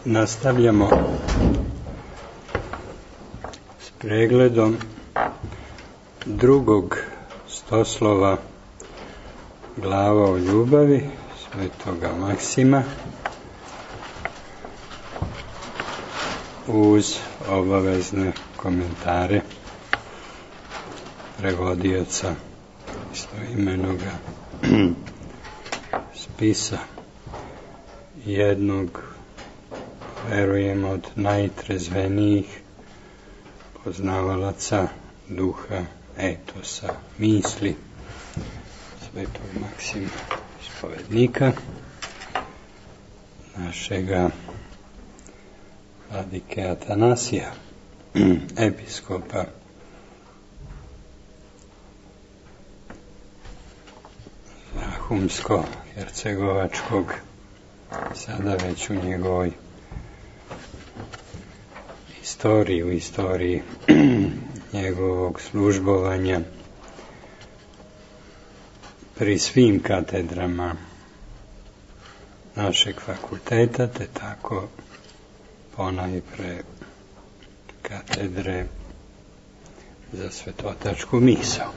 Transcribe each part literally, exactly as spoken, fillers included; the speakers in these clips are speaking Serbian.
Nastavljamo s pregledom drugog stoslova Glava o ljubavi Svetoga Maksima uz obavezne komentare prevodioca istoimenoga spisa, jednog, verujem, od najtrezvenijih poznavalaca duha, etosa, misli Svetog Maksima, ispovednika, našega vladike Atanasija, episkopa Zahumsko-hercegovačkog, sada već u njegovoj istoriji, u istoriji njegovog službovanja pri svim katedrama našeg fakulteta, te tako ponajpre katedre za svetotačku misao.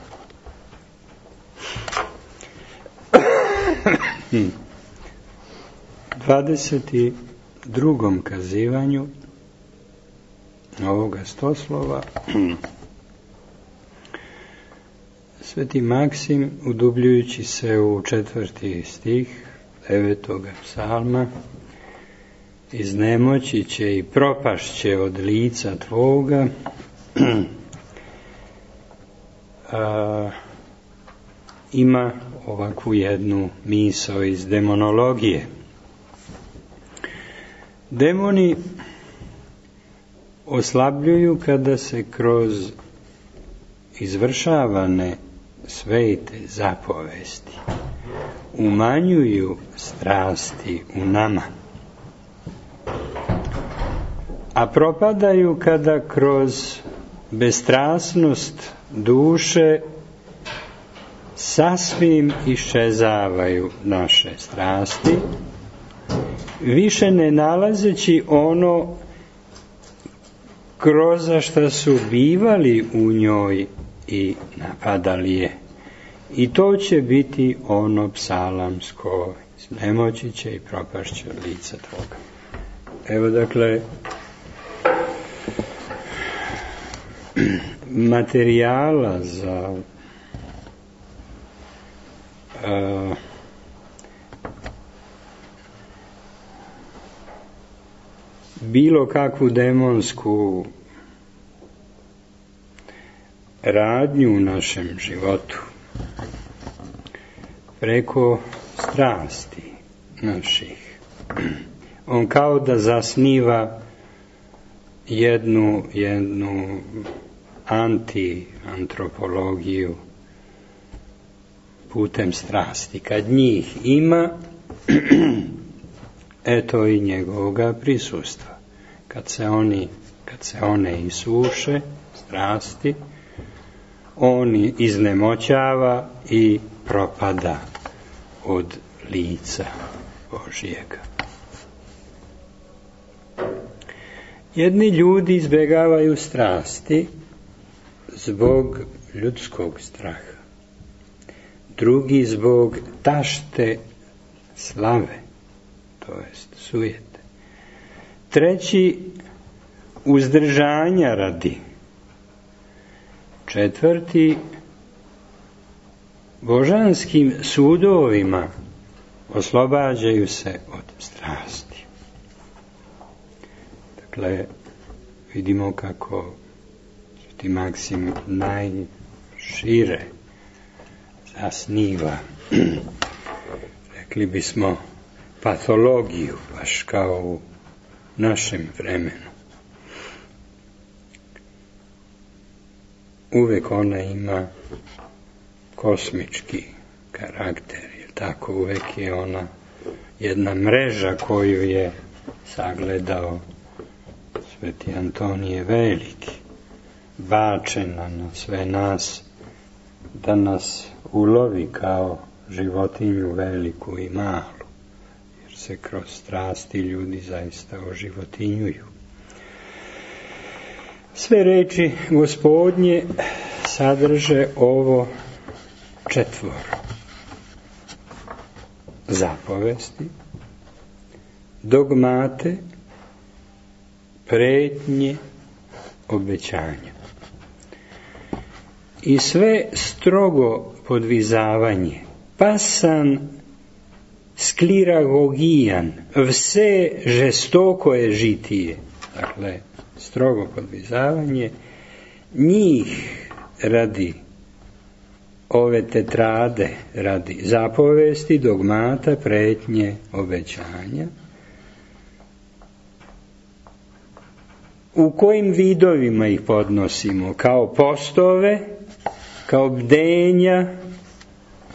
dvadeset drugom kazivanju ovoga stoslova Sveti Maksim, udubljujući se u četvrti stih devetoga psalma, iznemoći će i propašće od lica tvoga, a, ima ovakvu jednu misao iz demonologije. Demoni oslabljuju kada se kroz izvršavane svete zapovesti umanjuju strasti u nama, a propadaju kada kroz bestrasnost duše sasvim iščezavaju naše strasti, više ne nalazeći ono kroz šta su bivali u njoj i napadali je. I to će biti ono psalamsko, nemoći će i propašće od lica tvoga. Evo, dakle, materijala za uh, bilo kakvu demonsku radnju u našem životu preko strasti naših. On kao da zasniva jednu, jednu anti-antropologiju putem strasti. Kad njih ima, eto i njegovoga prisustva. Kad se oni, kad se one isuše, strasti, on iznemoćava i propada od lica Božijega. Jedni ljudi izbjegavaju strasti zbog ljudskog straha, drugi zbog tašte slave, to jest sujete, treći uzdržanja radi, četvrti božanskim sudovima oslobađaju se od strasti. Dakle, vidimo kako Sveti Maksim najšire zasniva, rekli bismo, patologiju, baš kao u našem vremenu. Uvek ona ima kosmički karakter, jer tako uvek je ona jedna mreža koju je sagledao Sveti Antonije Veliki, bačena na sve nas, da nas ulovi kao životinju veliku i malu. Jer se kroz strasti ljudi zaista oživotinjuju. Sve reči Gospodnje sadrže ovo četvoro: zapovesti, dogmate, pretnje, obećanja. I sve strogo podvizavanje, pasan skliragogijan, vse žestoko je žitije, dakle, strogo podvizavanje, njih radi ove tetrade, radi zapovesti, dogmata, pretnje, obećanja. U kojim vidovima ih podnosimo? Kao postove, kao bdenja,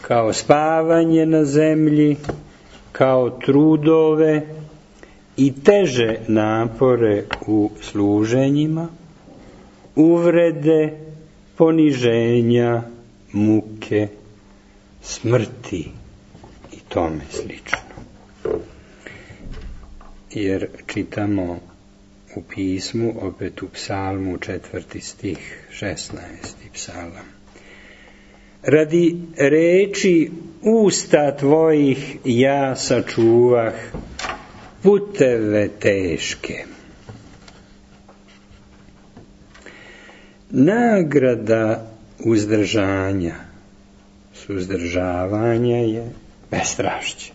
kao spavanje na zemlji, kao trudove i teže napore u služenjima, uvrede, poniženja, muke, smrti i tome slično. Jer čitamo u pismu, opet u psalmu, četvrti stih, šesnaesti psalam: radi reči usta tvojih ja sačuvah puteve teške. Nagrada uzdržanja, suzdržavanja je bestrašće,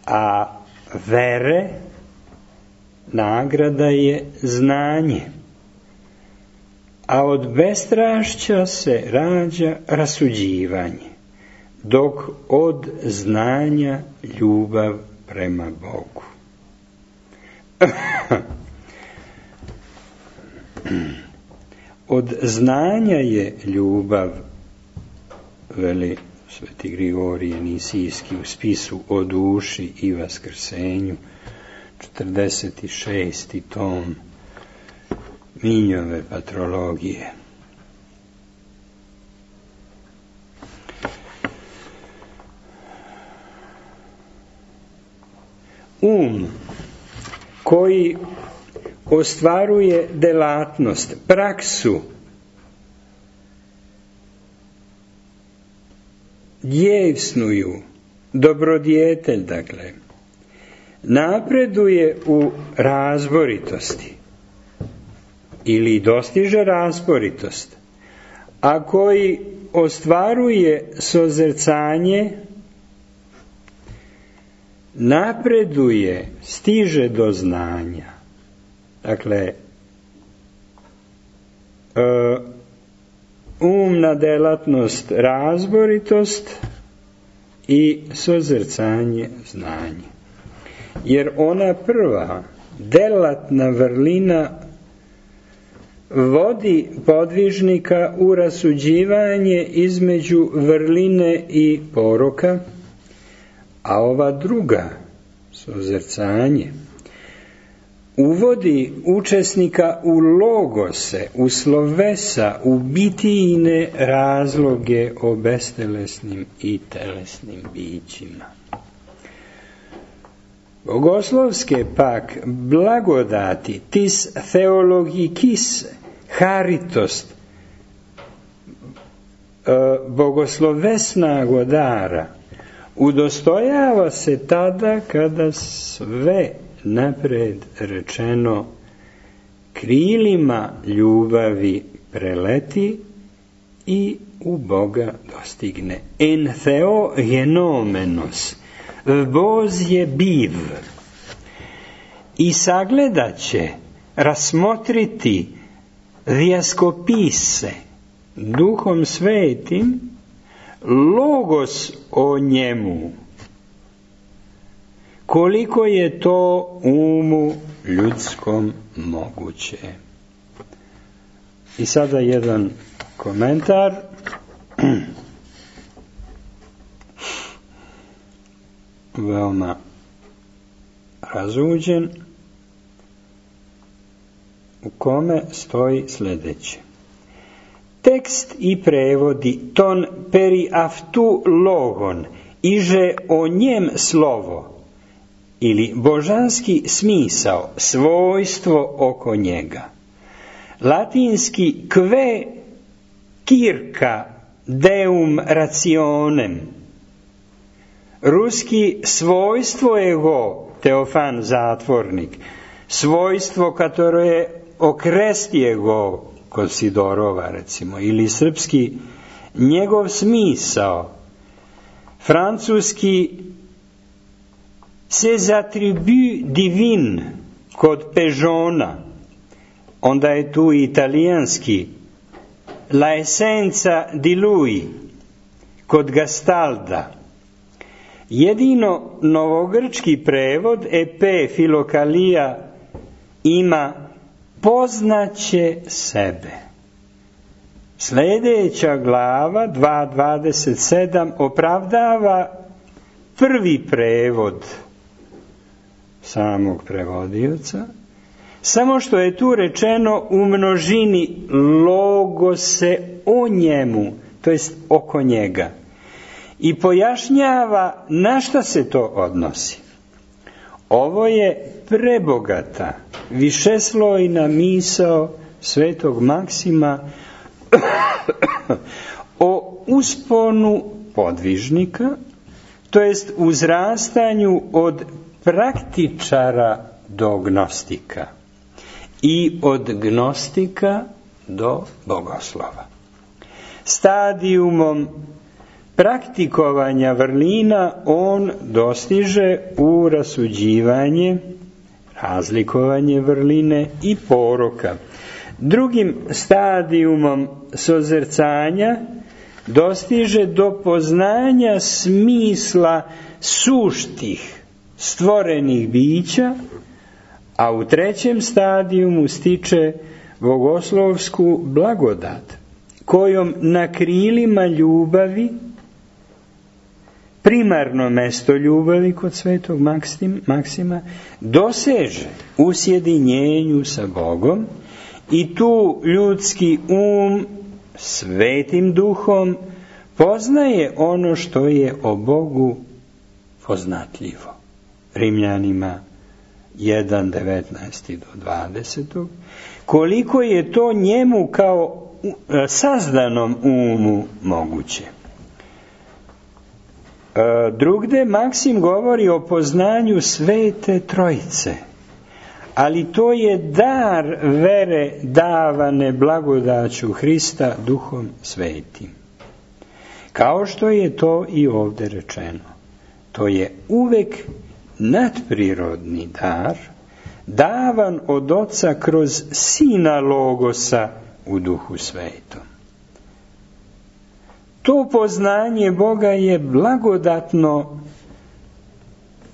a vere nagrada je znanje, a od bestrašća se rađa rasuđivanje, dok od znanja ljubav prema Bogu. Od znanja je ljubav, veli sveti Grigorije Nisijski u spisu o duši i vaskrsenju, četrdeset šesti tom Minjove patrologije. Um koji ostvaruje delatnost, praksu, djevsnuju, dobrodjetelj, dakle, napreduje u razboritosti ili dostiže razboritost, a koji ostvaruje sozercanje, napreduje, stiže do znanja. Dakle, umna delatnost, razboritost i sozercanje, znanje. Jer ona prva, delatna vrlina, vodi podvižnika u rasuđivanje između vrline i poroka, a ova druga, sozercanje, uvodi učesnika u logose, u slovesa, u bitijine razloge o bestelesnim i telesnim bićima. Bogoslovske pak blagodati, tis theologikis haritost, bogoslovesna dara, udostojava se tada kada sve napred rečeno krilima ljubavi preleti i u Boga dostigne. En theo genomenos, voz je biv, i sagledat će, rasmotriti, dijaskopise, duhom svetim, logos o njemu, koliko je to umu ljudskom moguće. I sada jedan komentar. Veoma razuđen, u kome stoji sljedeće. Tekst i prevodi ton peri aftu logon, iže o njem slovo, ili božanski smisao, svojstvo oko njega. Latinski kve circa deum rationem. Ruski svojstvo ego, Teofan Zatvornik, svojstvo katore okresti ego, kod Sidorova recimo, ili srpski njegov smisao, francuski ses attributs divin kod Pežona, onda je tu italijanski la essenza di lui kod Gastalda. Jedino novogrčki prevod epe Filokalija ima poznaće sebe. Sljedeća glava dva dvadeset sedam opravdava prvi prevod samog prevodioca, samo što je tu rečeno u množini logose o njemu, to jest oko njega, i pojašnjava na šta se to odnosi. Ovo je prebogata, višeslojna misao svetog Maksima o usponu podvižnika, to jest uzrastanju od praktičara do gnostika i od gnostika do bogoslova. Stadijumom praktikovanja vrlina on dostiže u rasuđivanje, razlikovanje vrline i poroka. Drugim stadijumom sozercanja dostiže do poznanja smisla suštih stvorenih bića, a u trećem stadijumu stiče bogoslovsku blagodat, kojom na krilima ljubavi, primarno mesto ljubavi kod svetog Maksima, doseže u sjedinjenju sa Bogom i tu ljudski um svetim duhom poznaje ono što je o Bogu poznatljivo. Rimljanima jedan devetnaest do dvadeset. Koliko je to njemu kao sazdanom umu moguće. Drugde Maksim govori o poznanju Svete Trojice, ali to je dar vere davane blagodaću Hrista Duhom Svetim. Kao što je to i ovdje rečeno. To je uvek nadprirodni dar, davan od Oca kroz Sina Logosa u Duhu Svetom. To poznanje Boga je blagodatno,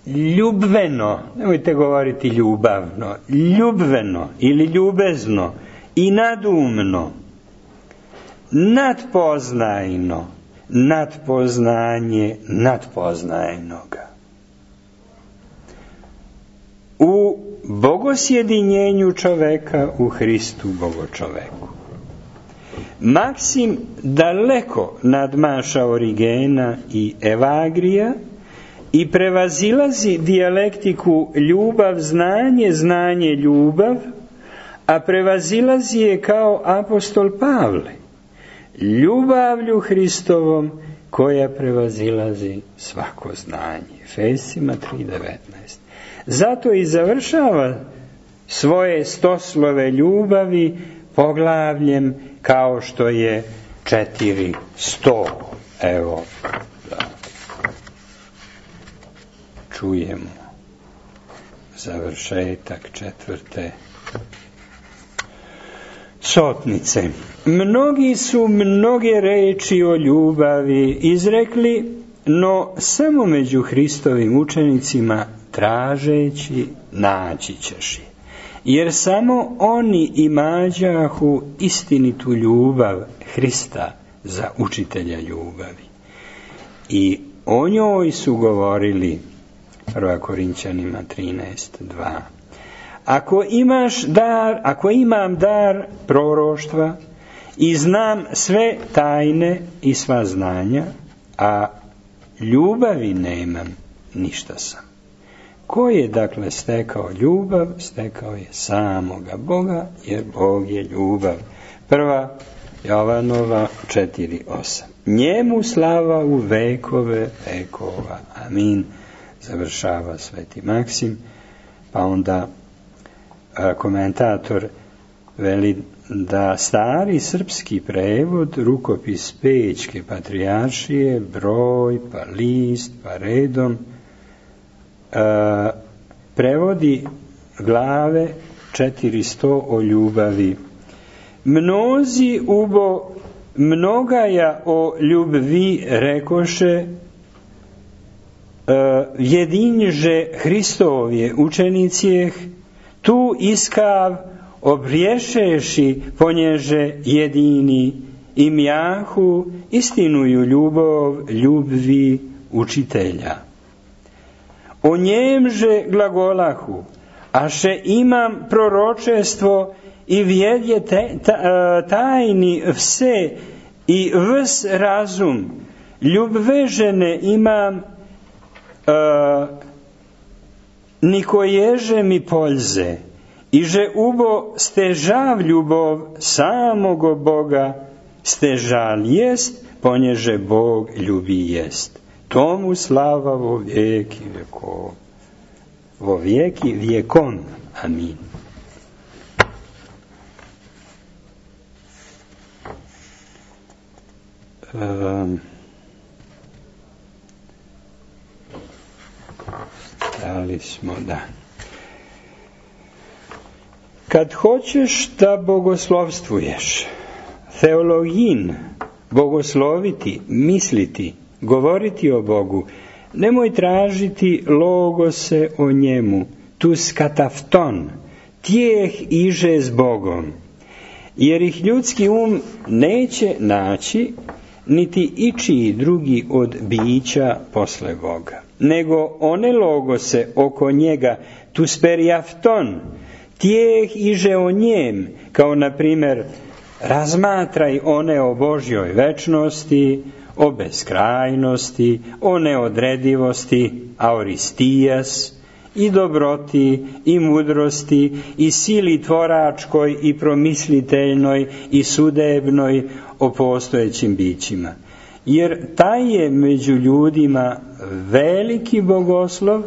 ljubveno, nemojte govoriti ljubavno, ljubveno ili ljubezno i nadumno, nadpoznajno, nadpoznanje nadpoznajnoga. U bogosjedinjenju čoveka u Hristu Bogočoveku. Maksim daleko nadmaša Origena i Evagrija i prevazilazi dijalektiku ljubav, znanje, znanje, ljubav, a prevazilazi je kao apostol Pavle, ljubavlju Hristovom koja prevazilazi svako znanje. Efesima tri devetnaest. Zato i završava svoje stoslove ljubavi poglavljem kao što je četiri sto. Evo, da čujemo završetak četvrte sotnice. Mnogi su mnoge reči o ljubavi izrekli, no samo među Hristovim učenicima tražeći naći ćeš je. Jer samo oni imađahu istinitu ljubav Hrista za učitelja ljubavi. I o njoj su govorili, prva Korinćanima trinaest dva. Ako imaš dar, ako imam dar proroštva i znam sve tajne i sva znanja, a ljubavi nemam, ništa sam. Ko je dakle stekao ljubav? Stekao je samoga Boga, jer Bog je ljubav. Prva Jovanova četiri osam. Njemu slava u vekove vekova. Amin. Završava Sveti Maksim. Pa onda a, komentator veli da stari srpski prevod, rukopis Pećke patrijaršije, broj, pa list, pa redom, a, prevodi glave četiristo o ljubavi. Mnozi ubo mnogaja o ljubvi rekoše, jedinže Hristovje učenicijeh, tu iskav obriješeši ponježe jedini i mjahu istinuju ljubov ljubvi učitelja. O njemže glagolahu, a še imam proročestvo i vjedje tajni vse i vs razum, ljubve žene imam Uh, nikoježe mi poljze, i že ubo stežav ljubov samogo Boga, stežal jest, ponježe Bog ljubi jest. Tomu slava vo vijeki vjekov. Vo vijeki vjekon. Amin. Um, Dali smo, da. Kad hoćeš da bogoslovstvuješ, teologin, bogosloviti, misliti, govoriti o Bogu, nemoj tražiti logose o njemu, tus katafton, tijeh iže s Bogom, jer ih ljudski um neće naći, niti ičiji drugi od bića posle Boga, nego one logose oko njega, tus periafton, tijeh iže o njem, kao na primjer razmatraj one o Božjoj večnosti, o beskrajnosti, o neodredivosti, auristijas, i dobroti, i mudrosti, i sili tvoračkoj, i promisliteljnoj, i sudebnoj o postojećim bićima. Jer taj je među ljudima veliki bogoslov,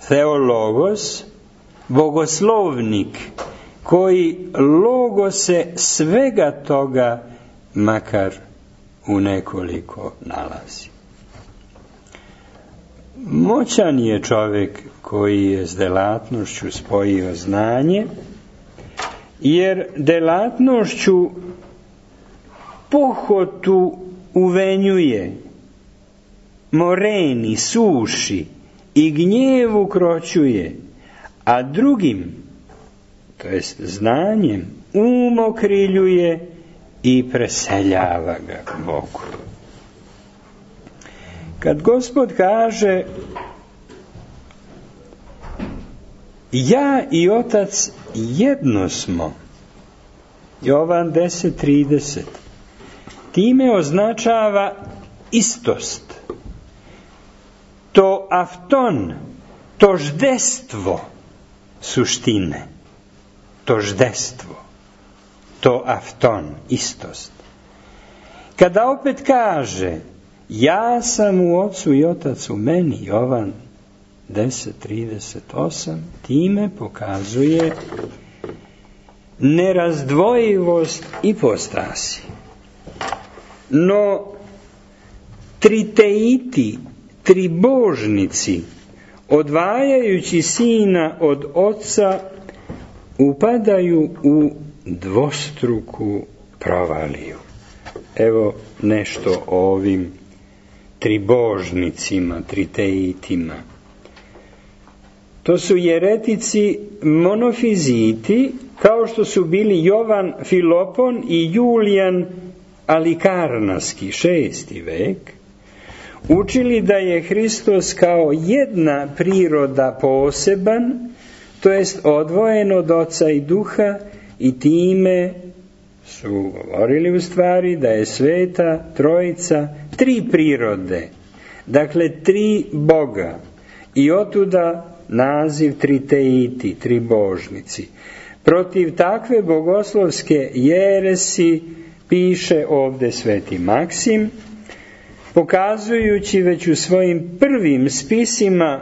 theologos, bogoslovnik, koji logose svega toga makar u nekoliko nalazi. Moćan je čovjek koji je s delatnošću spojio znanje, jer delatnošću pohotu uvenjuje, moreni, suši i gnjevu kroćuje, a drugim, to jest znanjem, umokriljuje i preseljava ga Bogu. Kad Gospod kaže ja i Otac jedno smo, Jovan deset trideset, time označava istost, to afton, toždestvo suštine, toždestvo, to afton, istost. Kada opet kaže ja sam u Ocu i Otac u meni, Jovan deset trideset osam, time pokazuje nerazdvojivost ipostasi. No, triteiti, tribožnici, odvajajući sina od Oca, upadaju u dvostruku provaliju. Evo nešto o ovim tribožnicima, triteitima. To su jeretici monofiziti, kao što su bili Jovan Filopon i Julijan Alikarnaski, šesti vek, učili da je Hristos kao jedna priroda poseban, to jest odvojen od Oca i Duha, i time su govorili u stvari da je Sveta Trojica tri prirode, dakle tri Boga, i otuda naziv triteiti, tribožnici. Protiv takve bogoslovske jeresi piše ovdje sveti Maksim, pokazujući već u svojim prvim spisima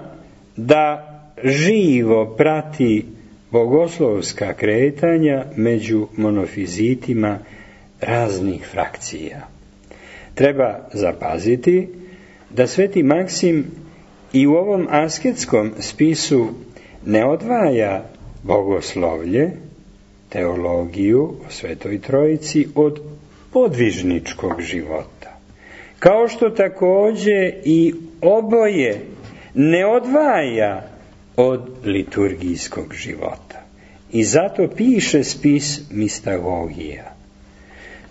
da živo prati bogoslovska kretanja među monofizitima raznih frakcija. Treba zapaziti da sveti Maksim i u ovom asketskom spisu ne odvaja bogoslovlje, teologiju o Svetoj Trojici od podvižničkog života. Kao što također i oboje ne odvaja od liturgijskog života. I zato piše spis Mistagogija.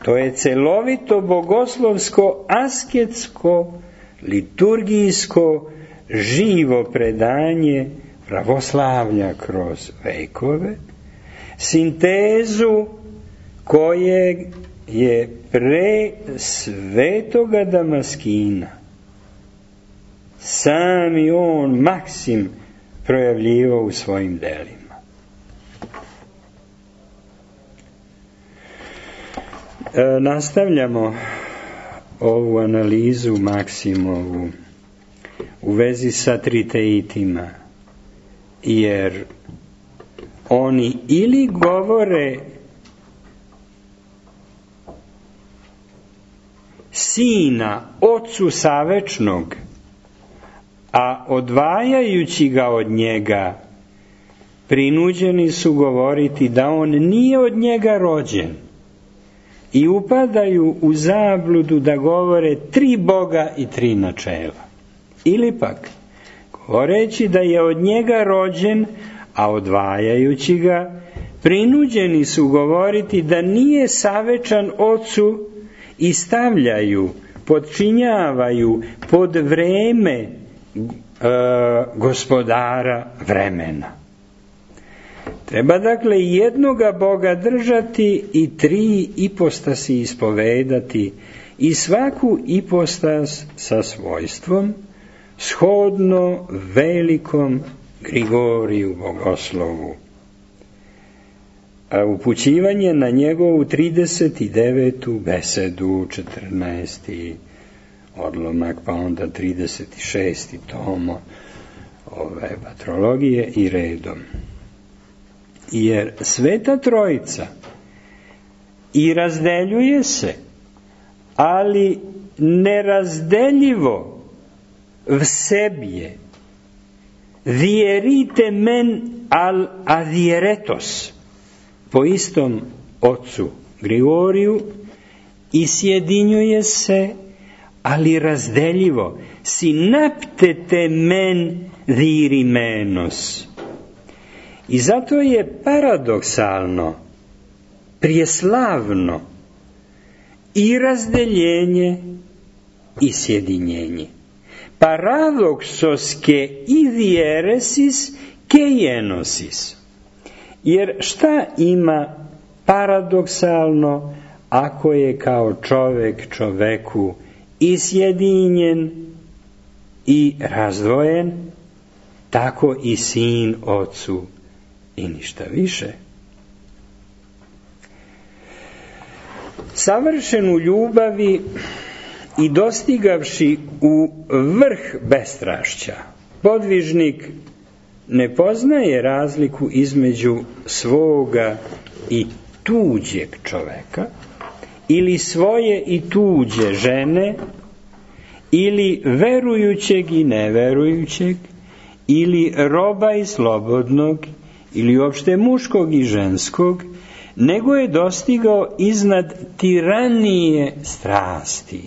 To je celovito bogoslovsko, asketsko, liturgijsko, živo predanje pravoslavlja kroz vekove, sintezu koje je pre svetoga Damaskina sami on Maksim projavljivao u svojim delima. E, nastavljamo ovu analizu Maksimovu u vezi sa triteitima, jer oni ili govore Sina Ocu Savečnog, a odvajajući ga od njega prinuđeni su govoriti da on nije od njega rođen i upadaju u zabludu da govore tri Boga i tri načela. Ili pak, govoreći da je od njega rođen, a odvajajući ga, prinuđeni su govoriti da nije savečan Ocu i stavljaju, podčinjavaju pod vreme e, gospodara vremena. Treba dakle jednoga Boga držati i tri ipostasi ispovedati i svaku ipostas sa svojstvom, shodno velikom Grigoriju bogoslovu. A upućivanje na njegovu trideset devetu besedu, četrnaesti odlomak, pa onda trideset šesti tomo ove patrologije i redom. Jer Sveta Trojica i razdeljuje se, ali nerazdeljivo v sebi je. Vjerite men al adieretos, po istom ocu Grigoriju, i sjedinjuje se, ali razdeljivo. Synaptete men dirimenos. I zato je paradoksalno, prijeslavno i razdeljenje i sjedinjenje. Paradoksoske idieresis keienosis. Jer šta ima paradoksalno ako je kao čovjek čoveku i sjedinjen i razdvojen, tako i sin ocu i ništa više. Savršen u ljubavi i dostigavši u vrh bestrašća, podvižnik ne poznaje razliku između svoga i tuđeg čoveka, ili svoje i tuđe žene, ili verujućeg i neverujućeg, ili roba i slobodnog, ili uopšte muškog i ženskog, nego je dostigao iznad tiranije strasti.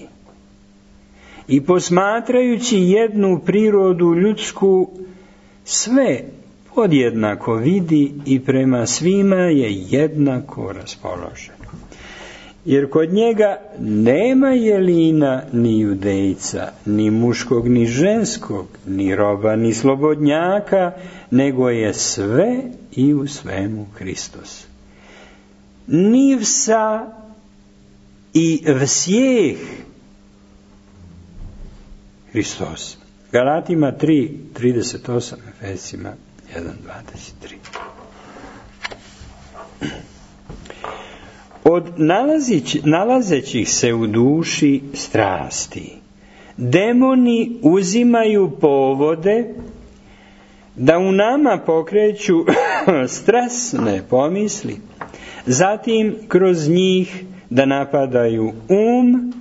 I posmatrajući jednu prirodu ljudsku, sve podjednako vidi i prema svima je jednako raspoložen. Jer kod njega nema jelina ni judejca, ni muškog ni ženskog, ni roba ni slobodnjaka, nego je sve i u svemu Hristos. Ni vsa i vsjeh Hristos. Galatima tri, trideset osam, Efesima jedan, dvadeset tri. Od nalazić, nalazećih se u duši strasti, demoni uzimaju povode da u nama pokreću strasne pomisli, zatim kroz njih da napadaju um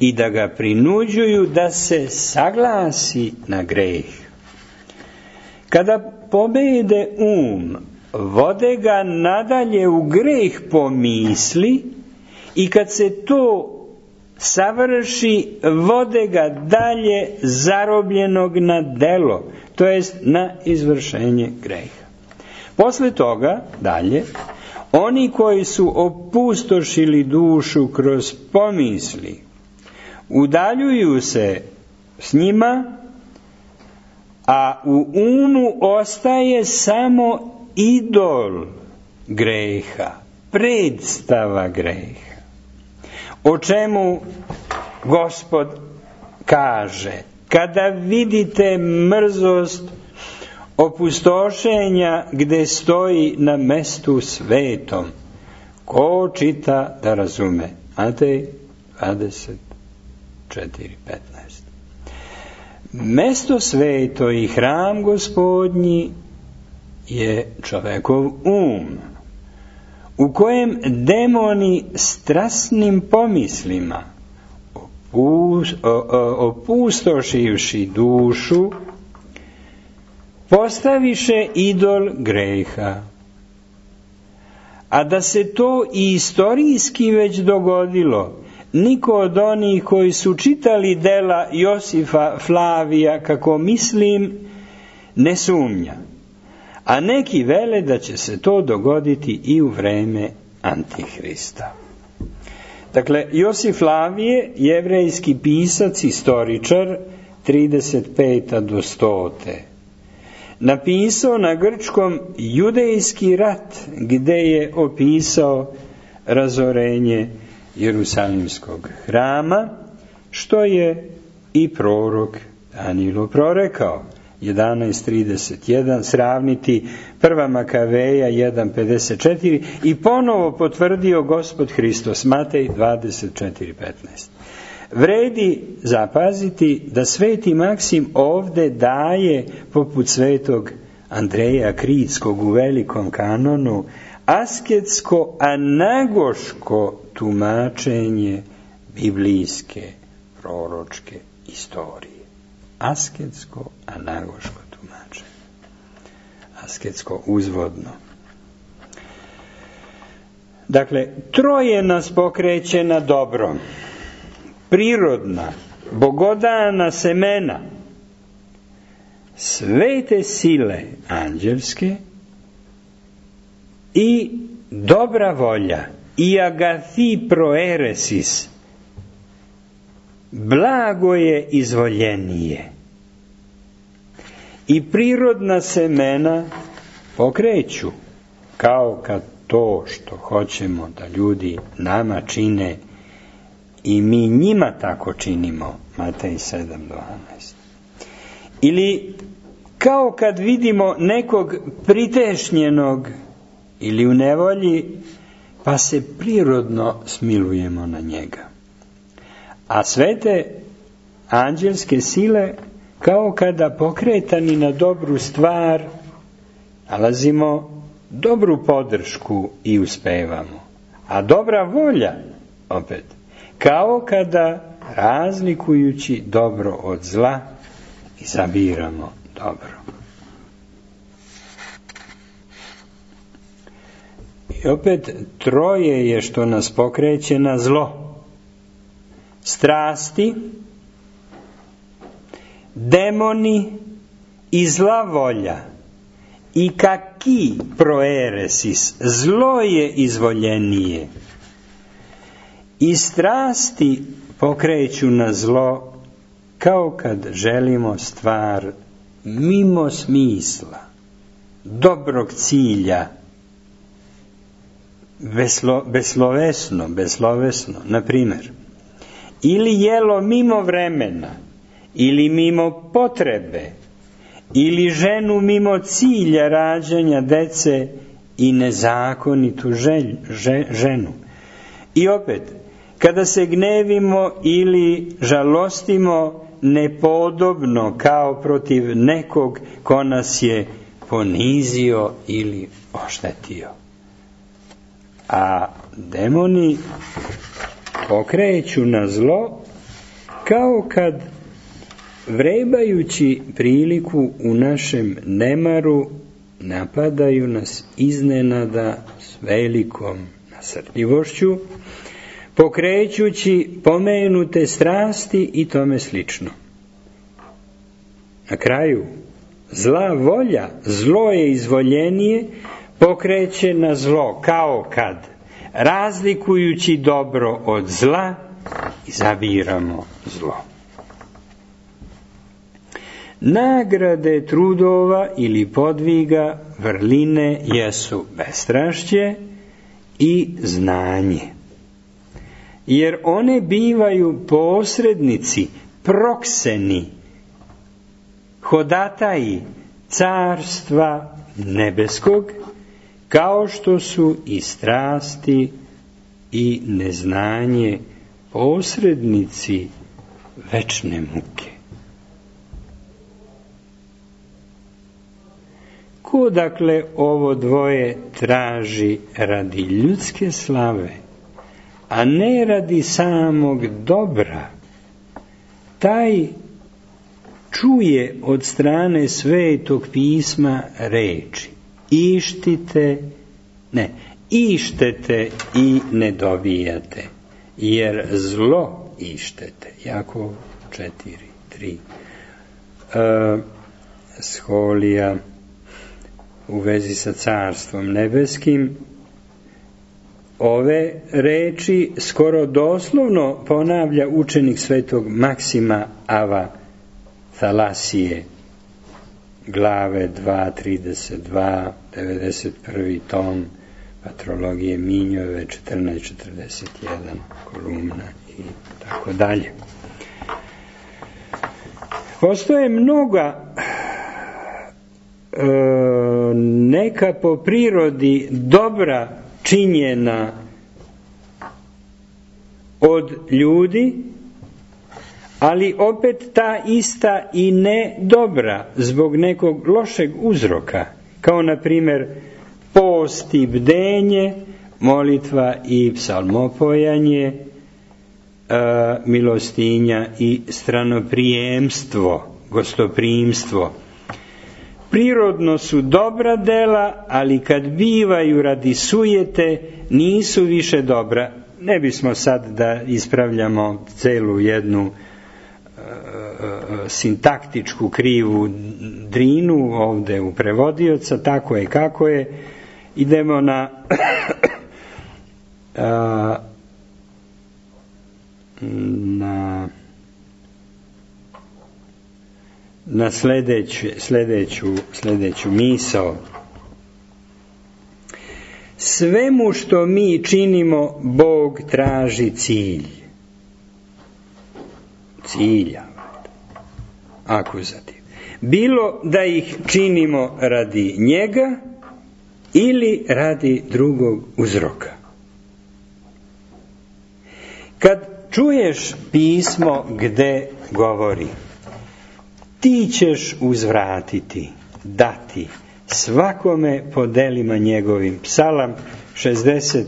i da ga prinuđuju da se saglasi na greh. Kada pobede um, vode ga nadalje u greh po misli i kad se to savrši, vode ga dalje zarobljenog na delo, to jest na izvršenje greha. Posle toga, dalje, oni koji su opustošili dušu kroz pomisli, udaljuju se s njima, a u umu ostaje samo idol greha, predstava greha. O čemu Gospod kaže: kada vidite mrzost opustošenja gde stoji na mestu svetom, ko čita da razume? Matej dvadeset četiri, petnaest. Mesto sveto i hram Gospodnji je čovekov um, u kojem demoni strasnim pomislima opustošivši dušu postaviše idol greha. A da se to i istorijski već dogodilo, niko od onih koji su čitali dela Josifa Flavija, kako mislim, ne sumnja. A neki vele da će se to dogoditi i u vreme Antihrista. Dakle, Josif Flavije, jevrejski pisac, istoričar, trideset peta do stote, napisao na grčkom Judejski rat, gde je opisao razorenje Jerusalimskog hrama, što je i prorok Danilo prorekao. jedanaest trideset jedan, sravniti prva Makaveja jedan pedeset četiri i ponovo potvrdio Gospod Hristos, Matej dvadeset četiri petnaest. Vredi zapaziti da sveti Maksim ovde daje, poput svetog Andreja Kritskog u velikom kanonu, asketsko-anagoško tumačenje biblijske proročke istorije. Asketsko-anagoško tumačenje. Asketsko uzvodno. Dakle, troje nas pokreće na dobro. Prirodna, bogodana semena, svete sile anđelske i dobra volja, i agathi proeresis, blago je izvoljenije. I prirodna semena pokreću, kao kad to što hoćemo da ljudi nama čine i mi njima tako činimo, Matej sedam dvanaest. Ili kao kad vidimo nekog pritešnjenog ili u nevolji, pa se prirodno smilujemo na njega. A svete anđelske sile, kao kada pokretani na dobru stvar, nalazimo dobru podršku i uspevamo. A dobra volja, opet, kao kada razlikujući dobro od zla, izabiramo dobro. I opet troje je što nas pokreće na zlo. Strasti, demoni i zla volja. I kaki proeresis, zlo je izvoljenije. I strasti pokreću na zlo, kao kad želimo stvar mimo smisla, dobrog cilja, beslo, beslovesno, beslovesno, na primjer. Ili jelo mimo vremena, ili mimo potrebe, ili ženu mimo cilja rađanja dece i nezakonitu želj, že, ženu. I opet, kada se gnevimo ili žalostimo nepodobno kao protiv nekog ko nas je ponizio ili oštetio. A demoni pokreću na zlo kao kad, vrebajući priliku u našem nemaru, napadaju nas iznenada s velikom nasrtljivošću, pokrećući pomenute strasti i tome slično. Na kraju, zla volja, zlo je izvoljenije, pokreće na zlo kao kad, razlikujući dobro od zla, izabiramo zlo. Nagrade trudova ili podviga vrline jesu bestrašće i znanje, jer one bivaju posrednici, prokseni, hodataji carstva nebeskog, kao što su i strasti i neznanje posrednici večne muke. Ko dakle ovo dvoje traži radi ljudske slave, a ne radi samog dobra, taj čuje od strane Svetog pisma reči: ištite, ne, ištete i ne dobijate, jer zlo ištete. Jakov četiri tri. E, Scholija u vezi sa carstvom nebeskim ove reči skoro doslovno ponavlja učenik Svetog Maksima Ava Thalasije, glave dva trideset dva, devedeset prvi tom Patrologije Minjove četrnaest četrdeset jedan, kolumna i tako dalje. Postoje mnoga e, neka po prirodi dobra činjena od ljudi, ali opet ta ista i ne dobra zbog nekog lošeg uzroka, kao na primjer post i bdenje, molitva i psalmopojanje, milostinja i stranoprijemstvo, gostoprimstvo. Prirodno su dobra dela, ali kad bivaju radi sujete, nisu više dobra. Ne bismo sad da ispravljamo celu jednu e, sintaktičku krivu drinu ovde u prevodioca, tako je kako je. Idemo na a, na na sledeću, sledeću, sledeću misao. Svemu što mi činimo, Bog traži cilj. Cilja. Akuzativ. Bilo da ih činimo radi njega ili radi drugog uzroka. Kad čuješ pismo gde govori: ti ćeš uzvratiti, dati svakome po delima njegovim. Psalam šezdeset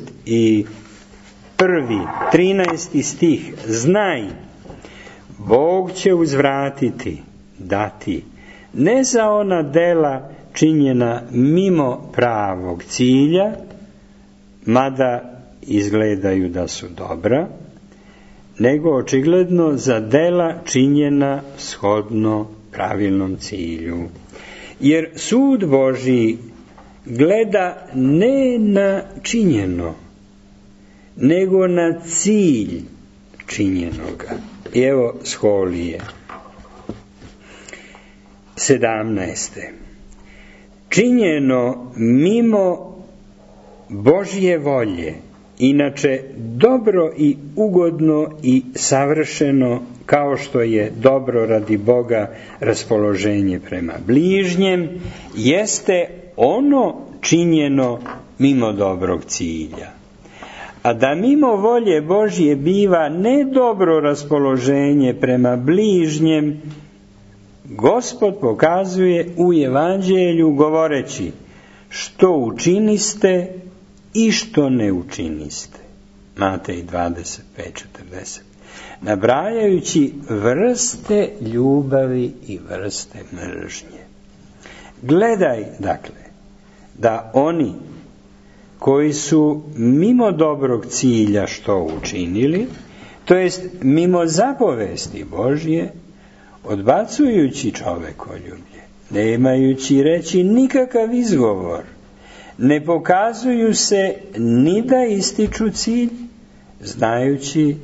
prvi, trinaesti stih. Znaj, Bog će uzvratiti, dati, ne za ona dela činjena mimo pravog cilja, mada izgledaju da su dobra, nego očigledno za dela činjena shodno pravilnom cilju. Jer sud Božji gleda ne na činjeno, nego na cilj činjenoga. I evo Scholije. sedamnaeste. Činjeno mimo Božje volje inače dobro i ugodno i savršeno, kao što je dobro radi Boga raspoloženje prema bližnjem, jeste ono činjeno mimo dobrog cilja. A da mimo volje Božje biva ne dobro raspoloženje prema bližnjem, Gospod pokazuje u Evanđelju govoreći što učiniste i što ne učiniste. Matej dvadeset pet četrdeset. Nabrajajući vrste ljubavi i vrste mržnje. Gledaj, dakle, da oni koji su mimo dobrog cilja što učinili, to jest mimo zapovesti Božje, odbacujući čovekoljublje, nemajući reći nikakav izgovor, ne pokazuju se ni da ističu cilj, znajući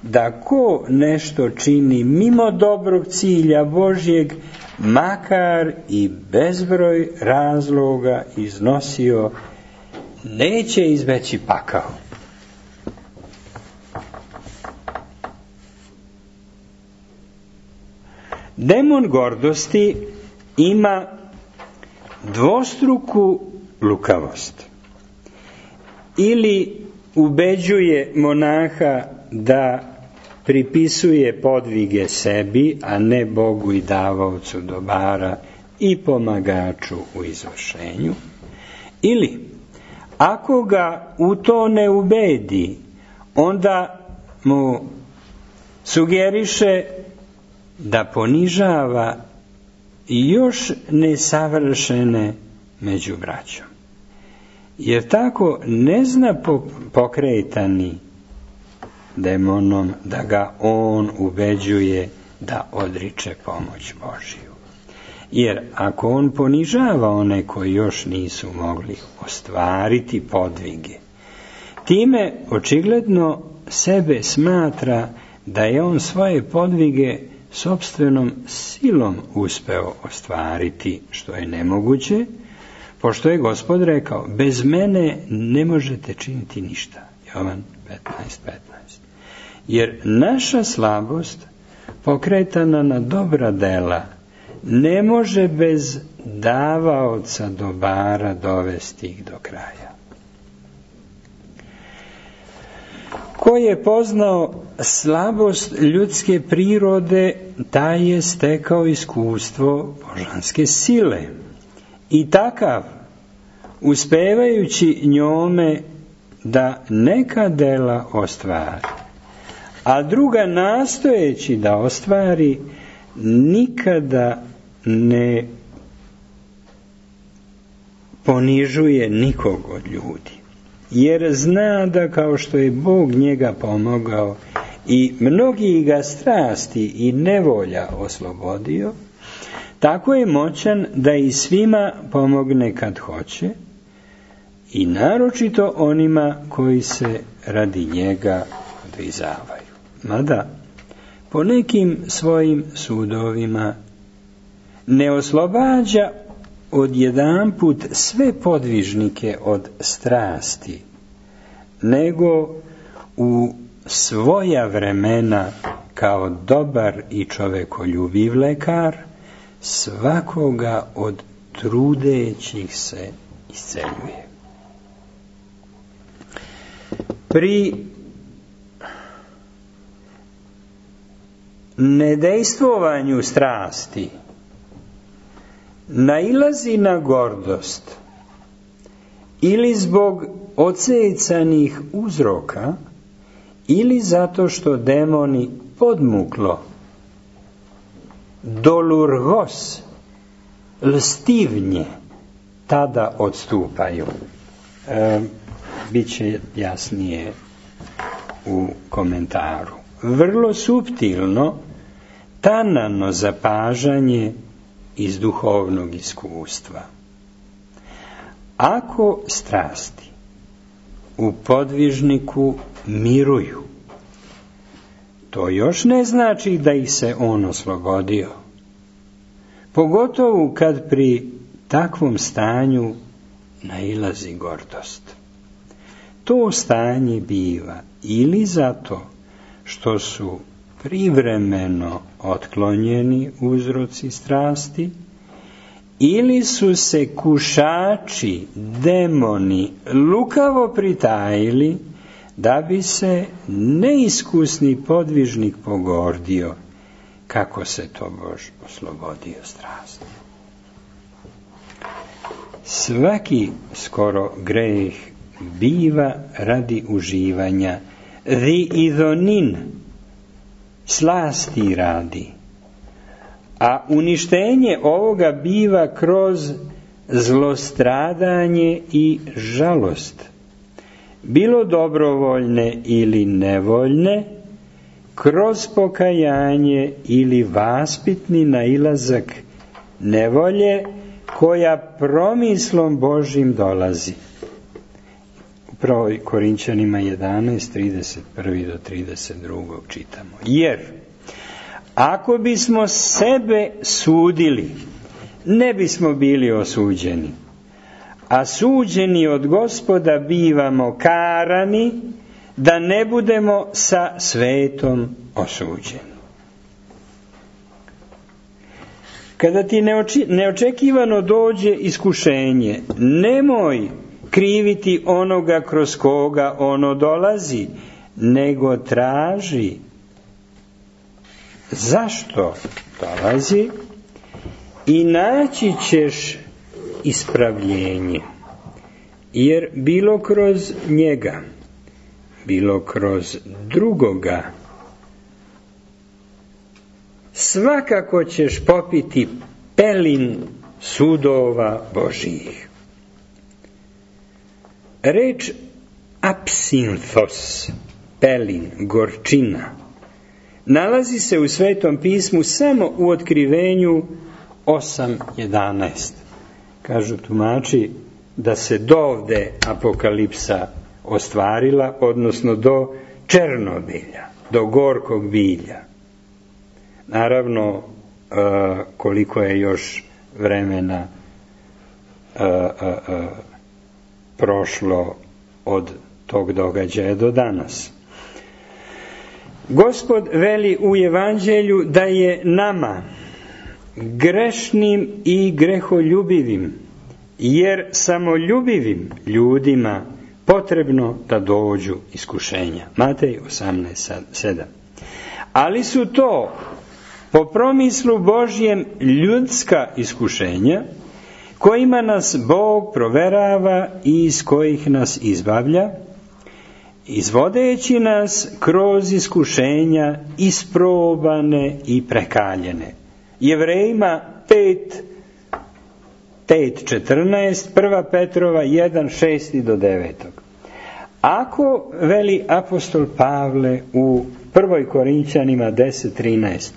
da ko nešto čini mimo dobrog cilja Božjeg, makar i bezbroj razloga iznosio, neće izbeći pakao. Demon gordosti ima dvostruku lukavost. Ili ubeđuje monaha da pripisuje podvige sebi, a ne Bogu i davaocu dobara i pomagaču u izvršenju. Ili, ako ga u to ne ubedi, onda mu sugeriše da ponižava još nesavršene među braćom. Jer tako ne zna pokretani demonom da ga on ubeđuje da odriče pomoć Božiju. Jer ako on ponižava one koji još nisu mogli ostvariti podvige, time očigledno sebe smatra da je on svoje podvige sopstvenom silom uspeo ostvariti, što je nemoguće, pošto je Gospod rekao, bez mene ne možete činiti ništa. Jovan petnaest petnaest. Jer naša slabost, pokretana na dobra dela, ne može bez davaoca dobara dovesti ih do kraja. Ko je poznao slabost ljudske prirode, taj je stekao iskustvo božanske sile. I takav, uspevajući njome da neka dela ostvari, a druga nastojeći da ostvari, nikada ne ponižuje nikog od ljudi. Jer zna da kao što je Bog njega pomogao i mnogi ga strasti i nevolja oslobodio, tako je moćan da i svima pomogne kad hoće i naročito onima koji se radi njega odvizavaju. Mada po nekim svojim sudovima ne oslobađa odjedanput sve podvižnike od strasti, nego u svoja vremena kao dobar i čovekoljubiv lekar svakoga od trudećih se isceljuje. Pri nedejstvovanju strasti nailazi na gordost ili zbog ocecanih uzroka ili zato što demoni podmuklo, dolurgos, lstivnje, tada odstupaju. E, Biće jasnije u komentaru. Vrlo suptilno, tanano zapažanje iz duhovnog iskustva. Ako strasti u podvižniku miruju, to još ne znači da ih se on oslobodio. Pogotovo kad pri takvom stanju nailazi gordost. to stanje biva ili zato što su privremeno otklonjeni uzroci strasti, ili su se kušači, demoni, lukavo pritajili da bi se neiskusni podvižnik pogordio kako se to Bož oslobodio strasti. Svaki skoro greh biva radi uživanja, riidonin, slasti radi, a uništenje ovoga biva kroz zlostradanje i žalost, bilo dobrovoljne ili nevoljne, kroz pokajanje ili vaspitni nailazak nevolje koja promislom Božim dolazi. Upravo Korinćanima jedanaest, trideset jedan do trideset dva čitamo. Jer ako bismo sebe sudili, ne bismo bili osuđeni, a suđeni od Gospoda bivamo karani, da ne budemo sa svetom osuđeni. Kada ti neoči, neočekivano dođe iskušenje, nemoj kriviti onoga kroz koga ono dolazi, nego traži zašto dolazi i naći ćeš ispravljenje. Jer bilo kroz njega, bilo kroz drugoga, svakako ćeš popiti pelin sudova Božijih. Reč apsinthos, pelin, gorčina, nalazi se u Svetom pismu samo u Otkrivenju osam jedanaest. Kažu tumači da se dovde apokalipsa ostvarila, odnosno do Černobilja, do gorkog bilja. Naravno, koliko je još vremena prošlo od tog događaja do danas. Gospod veli u Evanđelju da je nama, grešnim i greholjubivim, jer samoljubivim ljudima potrebno da dođu iskušenja. Matej osamnaest sedam. Ali su to po promislu Božjem ljudska iskušenja, kojima nas Bog proverava i iz kojih nas izbavlja, izvodeći nas kroz iskušenja isprobane i prekaljene. Jevrejima pet, pet četrnaest, prva Petrova jedan šest do devet. Ako, veli apostol Pavle u prvoj Korinćanima deset trinaest,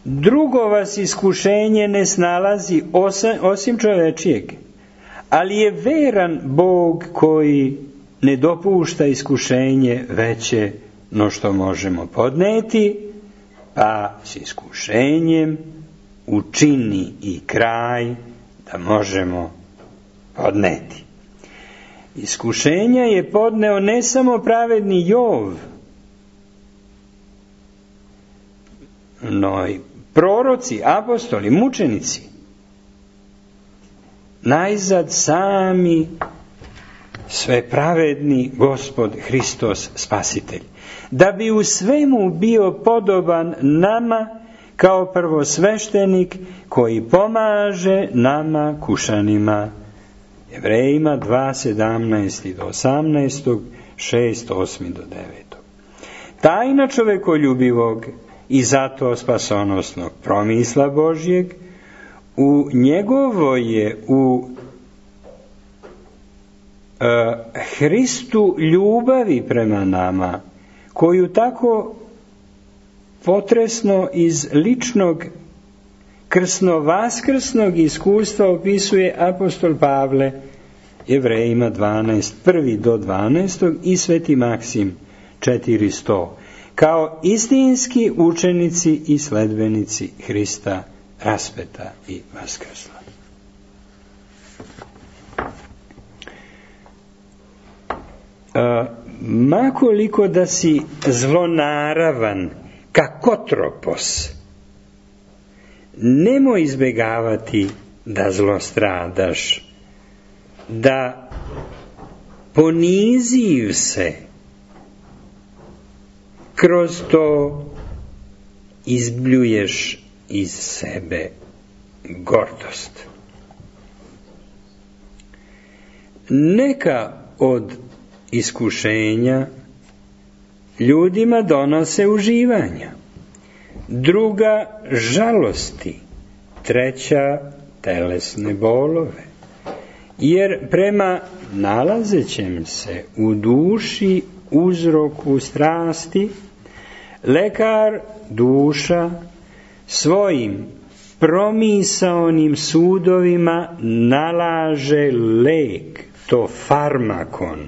drugo vas iskušenje ne snalazi osim čovečijeg, ali je veran Bog koji ne dopušta iskušenje veće no što možemo podneti, pa s iskušenjem učini i kraj da možemo podneti. Iskušenja je podneo ne samo pravedni Jov, no i proroci, apostoli, mučenici. Najzad sami svepravedni Gospod Hristos Spasitelj, da bi u svemu bio podoban nama kao prvosveštenik koji pomaže nama kušanima. Jevrejima dva sedamnaest do osamnaest, šest osam do devet. Tajna čovekoljubivog i zato spasonosnog promisla Božjeg u njegovo je u e, Hristu ljubavi prema nama, koju tako potresno iz ličnog krsno-vaskrsnog iskustva opisuje apostol Pavle, Jevrejima dvanaest, prvi do dvanaest i Sveti Maksim četiristo, kao istinski učenici i sledbenici Hrista raspeta i vaskrsla. makoliko da si zlonaravan, kakotropos, nemoj izbjegavati da zlostradaš, da poniziv se, kroz to izbljuješ iz sebe gordost. Neka od iskušenja ljudima donose uživanja, druga žalosti, treća telesne bolove, jer prema nalazećem se u duši uzroku strasti, lekar duša svojim promisaonim sudovima nalaže lek, to farmakon.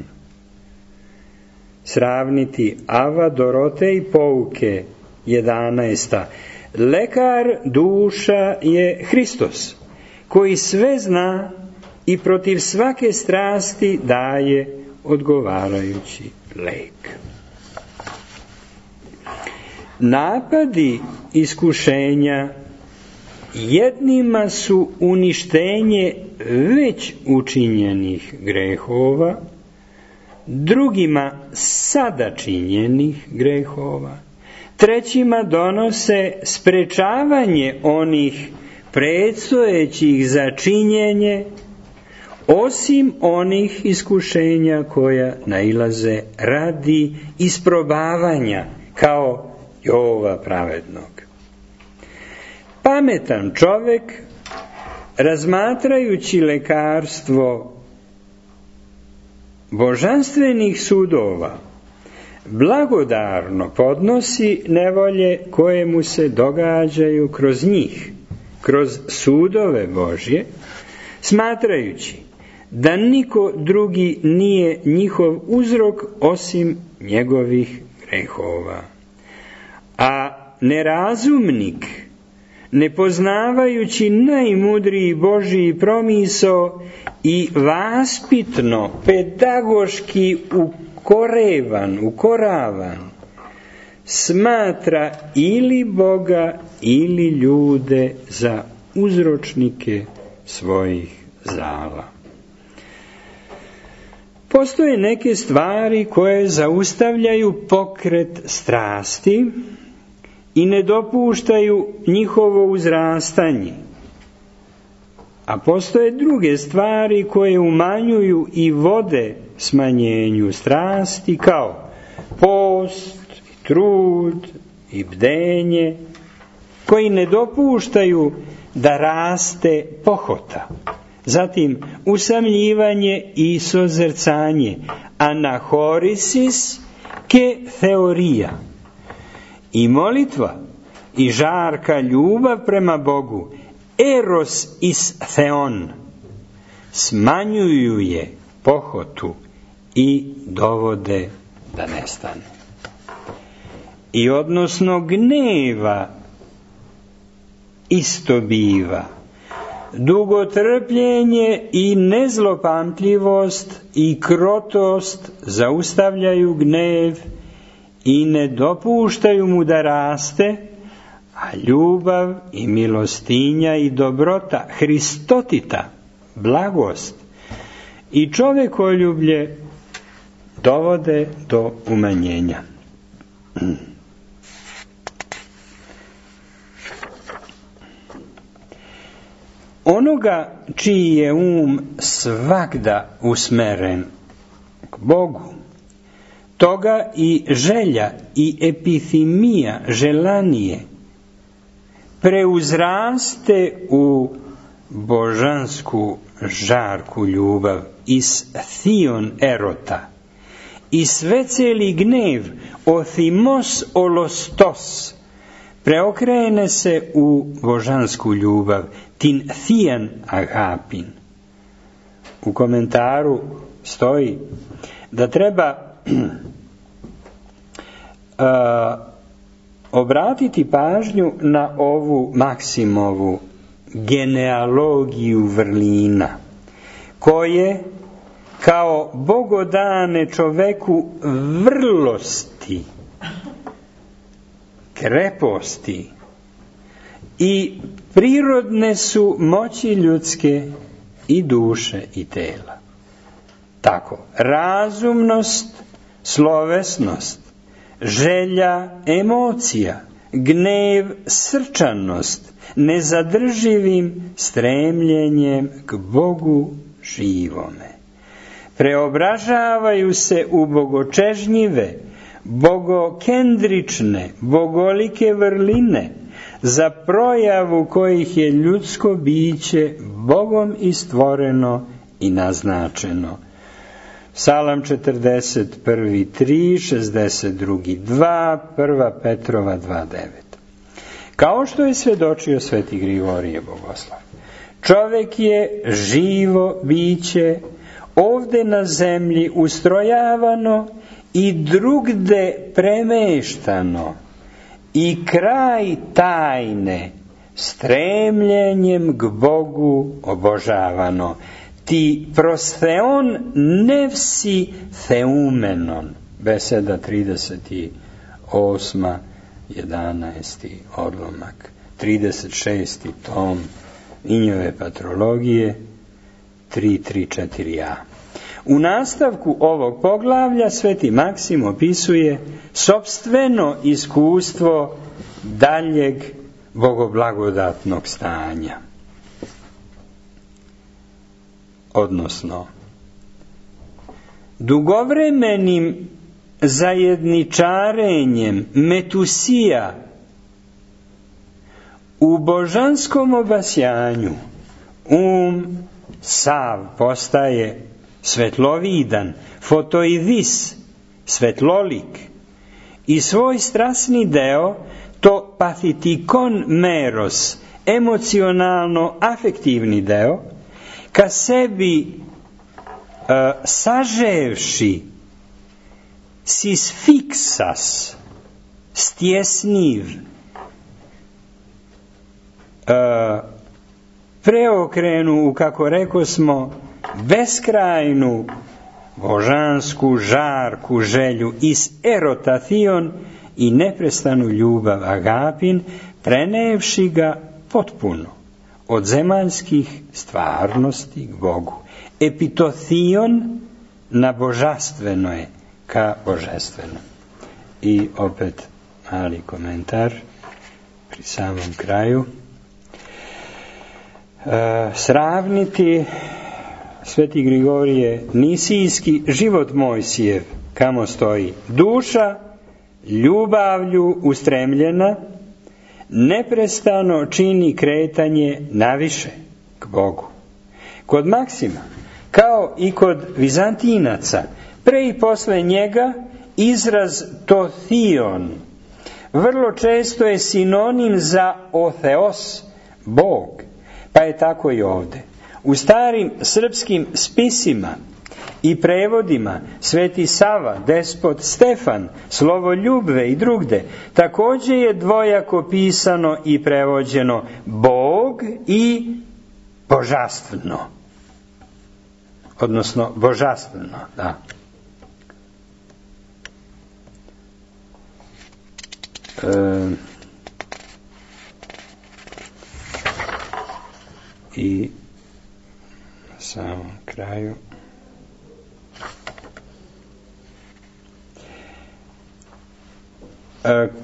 Sravniti Ava Dorotej pouke jedanaesta. Lekar duša je Hristos, koji sve zna i protiv svake strasti daje odgovarajući lek. Napadi iskušenja jednima su uništenje već učinjenih grehova, drugima sada činjenih grehova, trećima donose sprečavanje onih predstojećih za činjenje, osim onih iskušenja koja nailaze radi isprobavanja, kao Jova pravednog. Pametan čovek, razmatrajući lekarstvo božanstvenih sudova, blagodarno podnosi nevolje koje mu se događaju kroz njih, kroz sudove Božje, smatrajući da niko drugi nije njihov uzrok osim njegovih grehova. A nerazumnik, ne poznavajući najmudriji Božji promisao i vaspitno, pedagoški ukorevan, ukoravan, smatra ili Boga ili ljude za uzročnike svojih zala. Postoje neke stvari koje zaustavljaju pokret strasti i ne dopuštaju njihovo uzrastanje. A postoje druge stvari koje umanjuju i vode smanjenju strasti, kao post, i trud i bdenje, koji ne dopuštaju da raste pohota. Zatim usamljivanje i sozercanje, anahorisis ke teorija. I molitva i žarka ljubav prema Bogu, eros is theon, smanjuju je pohotu i dovode da nestane. I odnosno gneva isto biva. Dugotrpljenje i nezlopamtljivost i krotost zaustavljaju gnev i ne dopuštaju mu da raste, a ljubav i milostinja i dobrota, Hristotita, blagost i čovekoljublje dovode do umanjenja. Onoga čiji je um svagda usmeren k Bogu, toga i želja i epithimija, želanije, preuzraste u božansku žarku ljubav, is thion erota, i sveceli gnev, othimos olostos, preokrene se u božansku ljubav, tin thian agapin. U komentaru stoji da treba uh, obratiti pažnju na ovu Maksimovu genealogiju vrlina, koje kao bogodane čoveku vrlosti, kreposti i prirodne su moći ljudske i duše i tela. Tako, razumnost, slovesnost, želja, emocija, gnev, srčanost, nezadrživim stremljenjem k Bogu živome. Preobražavaju se u bogočežnjive, bogokendrične, bogolike vrline, za projavu kojih je ljudsko biće Bogom i stvoreno i naznačeno. Psalam četrdeset prvi tri, šezdeset drugi dva, prva Petrova dva devet. Kao što je svedočio sveti Grigorije Bogoslav, čovek je živo biće, ovde na zemlji ustrojavano i drugde premeštano, i kraj tajne stremljenjem k Bogu obožavano. Ti prostheon nevsi theumenon. Beseda trideset osma, jedanaesti odlomak, trideset šesti tom Injove patrologije, tri tri četiri a. U nastavku ovog poglavlja sveti Maksim opisuje sopstveno iskustvo daljeg bogoblagodatnog stanja. Odnosno, dugovremenim zajedničarenjem metusija u božanskom obasjanju um sav postaje svetlovidan, fotoidis, svetlolik, i svoj strasni deo, to pathitikon meros, emocionalno-afektivni deo, ka sebi uh, saževši sis fixas, stjesniv, uh, preokrenu u, kako reko smo, beskrajnu božansku žarku želju is erotation i neprestanu ljubav agapin, prenevši ga potpuno od zemaljskih stvarnosti k Bogu. Epitotion na božanstveno je ka božanstveno. I opet mali komentar pri samom kraju. E, sravniti sveti Grigorije Nisijski život Mojsijev, kamo stoji duša ljubavlju ustremljena, neprestano čini kretanje naviše k Bogu. Kod Maksima, kao i kod Vizantinaca, pre i posle njega izraz totheon vrlo često je sinonim za otheos, Bog, pa je tako i ovde. U starim srpskim spisima i prevodima Sveti Sava, Despot Stefan, Slovoljubve i drugde također je dvojako pisano i prevođeno Bog i božastveno. Odnosno božastveno, da. E, I na samom kraju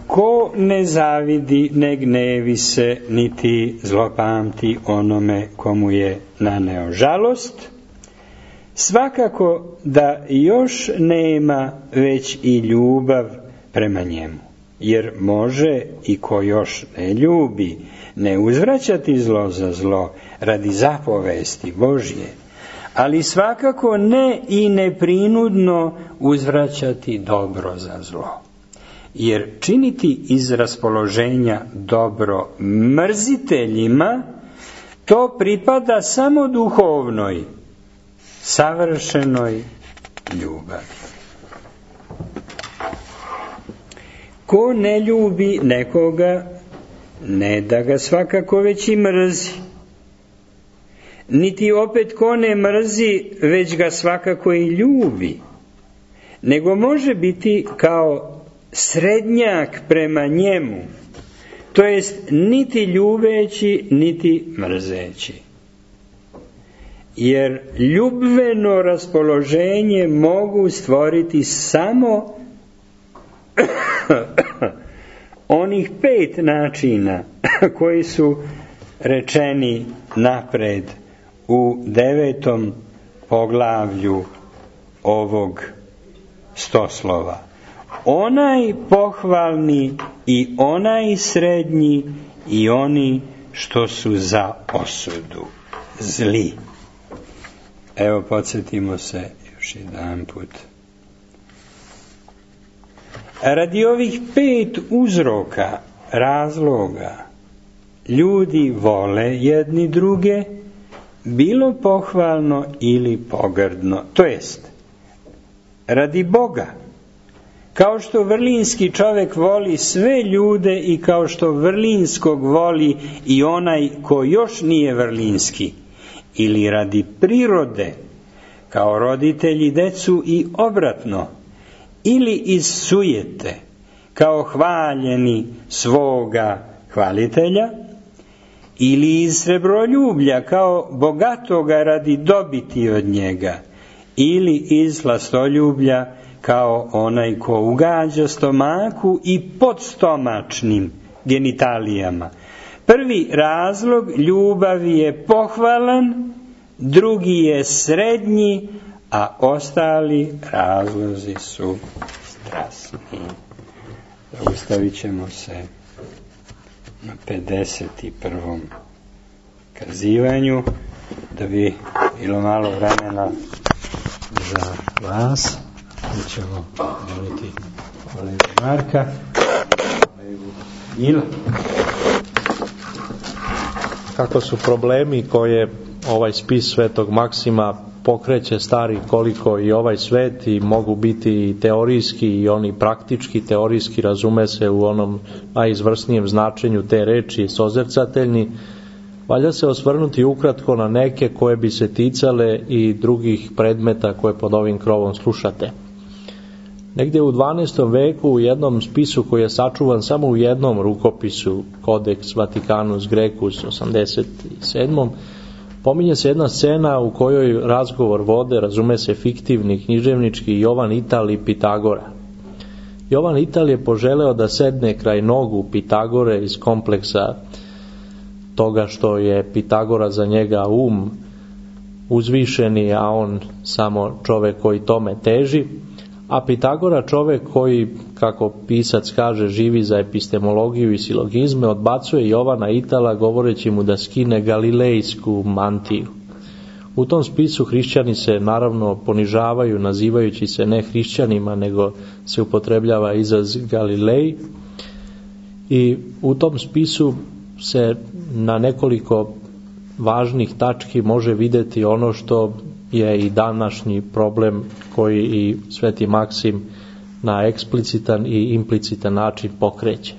ko ne zavidi, ne gnevi se, niti zlopamti onome komu je naneo žalost, svakako da još nema već i ljubav prema njemu. Jer može i ko još ne ljubi, ne uzvraćati zlo za zlo radi zapovesti Božje, ali svakako ne i neprinudno uzvraćati dobro za zlo. Jer činiti iz raspoloženja dobro mrziteljima, to pripada samo duhovnoj, savršenoj ljubavi. Ko ne ljubi nekoga, ne da ga svakako već i mrzi, niti opet ko ne mrzi, već ga svakako i ljubi, nego može biti kao srednjak prema njemu, to jest niti ljubeći, niti mrzeći. Jer ljubveno raspoloženje mogu stvoriti samo onih pet načina koji su rečeni napred u devetom poglavlju ovog stoslova. Onaj pohvalni i onaj srednji i oni što su za osudu, zli. Evo, podsjetimo se još jedan put. Radi ovih pet uzroka, razloga, ljudi vole jedni druge, bilo pohvalno ili pogrdno, to jest radi Boga. Kao što vrlinski čovjek voli sve ljude i kao što vrlinskog voli i onaj ko još nije vrlinski, ili radi prirode, kao roditelji decu i obratno, ili iz sujete, kao hvaljeni svoga hvalitelja, ili iz srebroljublja, kao bogatoga radi dobiti od njega, ili iz slastoljublja, kao onaj ko ugađa stomaku i podstomačnim genitalijama. Prvi razlog ljubavi je pohvalan, drugi je srednji, a ostali razlozi su strasni. Zaustavit ćemo se na pedeset prvom kazivanju, da bi bilo malo vremena za vas. Mi ćemo moliti kolegu Marka, kolegu Ila. Kako su problemi koje ovaj spis Svetog Maksima pokreće stari koliko i ovaj svet, i mogu biti i teorijski i oni praktički, teorijski razume se u onom najizvrsnijem značenju te reči, sozercateljni, valja se osvrnuti ukratko na neke koje bi se ticale i drugih predmeta koje pod ovim krovom slušate. Negdje u dvanaestom veku u jednom spisu koji je sačuvan samo u jednom rukopisu, Codex Vaticanus Grecus osamdeset sedam. Pominje se jedna scena u kojoj razgovor vode, razume se fiktivni, književnički, Jovan Ital i Pitagora. Jovan Ital je poželeo da sedne kraj nogu Pitagore iz kompleksa toga što je Pitagora za njega um uzvišeni, a on samo čovjek koji tome teži, a Pitagora čovjek koji, kako pisac kaže, živi za epistemologiju i silogizme, odbacuje Jovana Itala govoreći mu da skine galilejsku mantiju. U tom spisu hrišćani se naravno ponižavaju, nazivajući se ne hrišćanima, nego se upotrebljava izraz Galilej, i u tom spisu se na nekoliko važnih tački može vidjeti ono što je i današnji problem koji i Sveti Maksim na eksplicitan i implicitan način pokreće.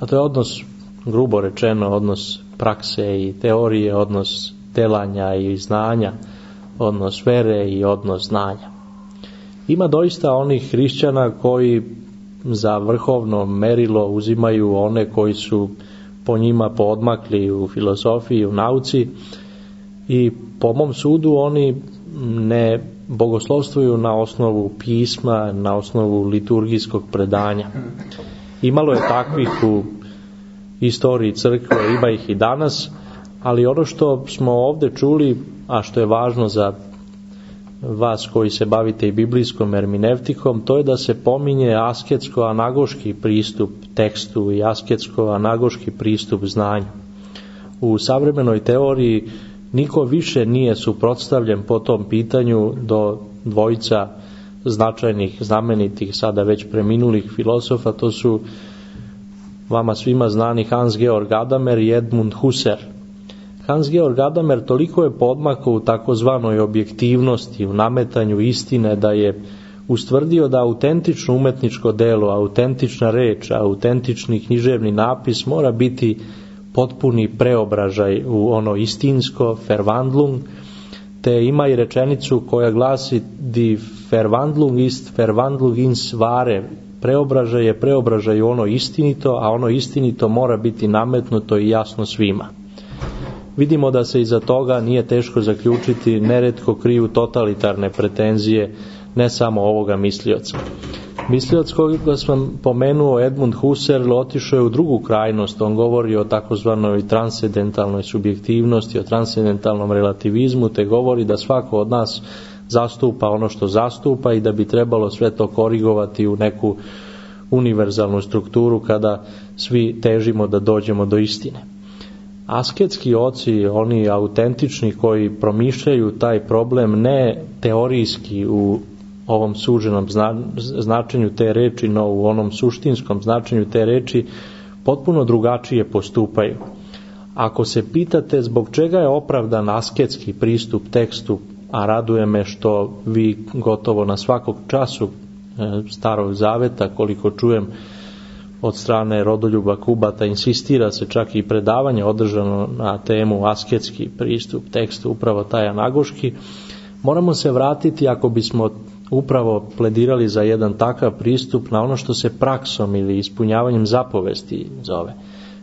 A to je odnos, grubo rečeno, odnos prakse i teorije, odnos delanja i znanja, odnos vere i odnos znanja. Ima doista onih hrišćana koji za vrhovno merilo uzimaju one koji su po njima poodmakli u filozofiji, u nauci, i po mom sudu oni ne bogoslovstvuju na osnovu pisma, na osnovu liturgijskog predanja. Imalo je takvih u istoriji crkve, ima ih i danas, ali ono što smo ovdje čuli, a što je važno za vas koji se bavite i biblijskom hermenevtikom, to je da se pominje asketsko-anagoški pristup tekstu i asketsko-anagoški pristup znanju. U savremenoj teoriji niko više nije suprotstavljen po tom pitanju do dvojica značajnih, znamenitih, sada već preminulih filosofa. To su vama svima znani Hans Georg Gadamer i Edmund Husserl. Hans Georg Gadamer toliko je podmakao u takozvanoj objektivnosti, u nametanju istine, da je ustvrdio da autentično umetničko delo, autentična reč, autentični književni napis mora biti potpuni preobražaj u ono istinsko, verwandlung, te ima i rečenicu koja glasi die Verwandlung ist Verwandlung ins Wahre. Preobražaj je preobražaj u ono istinito, a ono istinito mora biti nametnuto i jasno svima. Vidimo da se iza toga nije teško zaključiti, neretko kriju totalitarne pretenzije ne samo ovoga mislioca. Mislioc koga sam pomenuo, Edmund Husserl, otišao je u drugu krajnost. On govori o takozvanoj transcendentalnoj subjektivnosti, o transcendentalnom relativizmu, te govori da svako od nas zastupa ono što zastupa i da bi trebalo sve to korigovati u neku univerzalnu strukturu kada svi težimo da dođemo do istine. Asketski oci, oni autentični koji promišljaju taj problem ne teorijski u ovom suženom značenju te reči, no u onom suštinskom značenju te reči, potpuno drugačije postupaju. Ako se pitate zbog čega je opravdan asketski pristup tekstu, a raduje me što vi gotovo na svakog času Starog Zaveta, koliko čujem od strane Rodoljuba Kubata, insistira se čak i predavanje održano na temu asketski pristup tekstu, upravo taj anagoški, moramo se vratiti, ako bismo upravo pledirali za jedan takav pristup, na ono što se praksom ili ispunjavanjem zapovesti zove.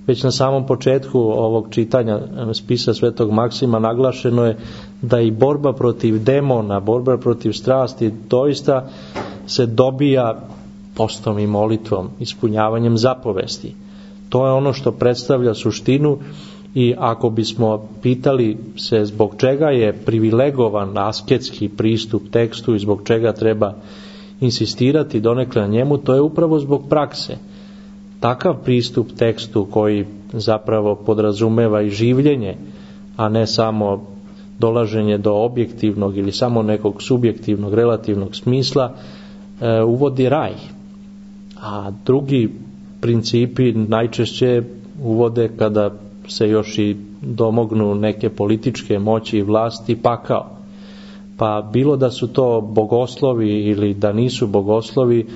Već na samom početku ovog čitanja spisa Svetog Maksima naglašeno je da i borba protiv demona, borba protiv strasti doista se dobija postom i molitvom, ispunjavanjem zapovesti. To je ono što predstavlja suštinu i ako bismo pitali se zbog čega je privilegovan asketski pristup tekstu i zbog čega treba insistirati donekle na njemu, to je upravo zbog prakse. Takav pristup tekstu koji zapravo podrazumeva i življenje, a ne samo dolaženje do objektivnog ili samo nekog subjektivnog, relativnog smisla, e, uvodi raj. A drugi principi najčešće uvode, kada se još i domognu neke političke moći i vlasti, pakao. Pa bilo da su to bogoslovi ili da nisu bogoslovi,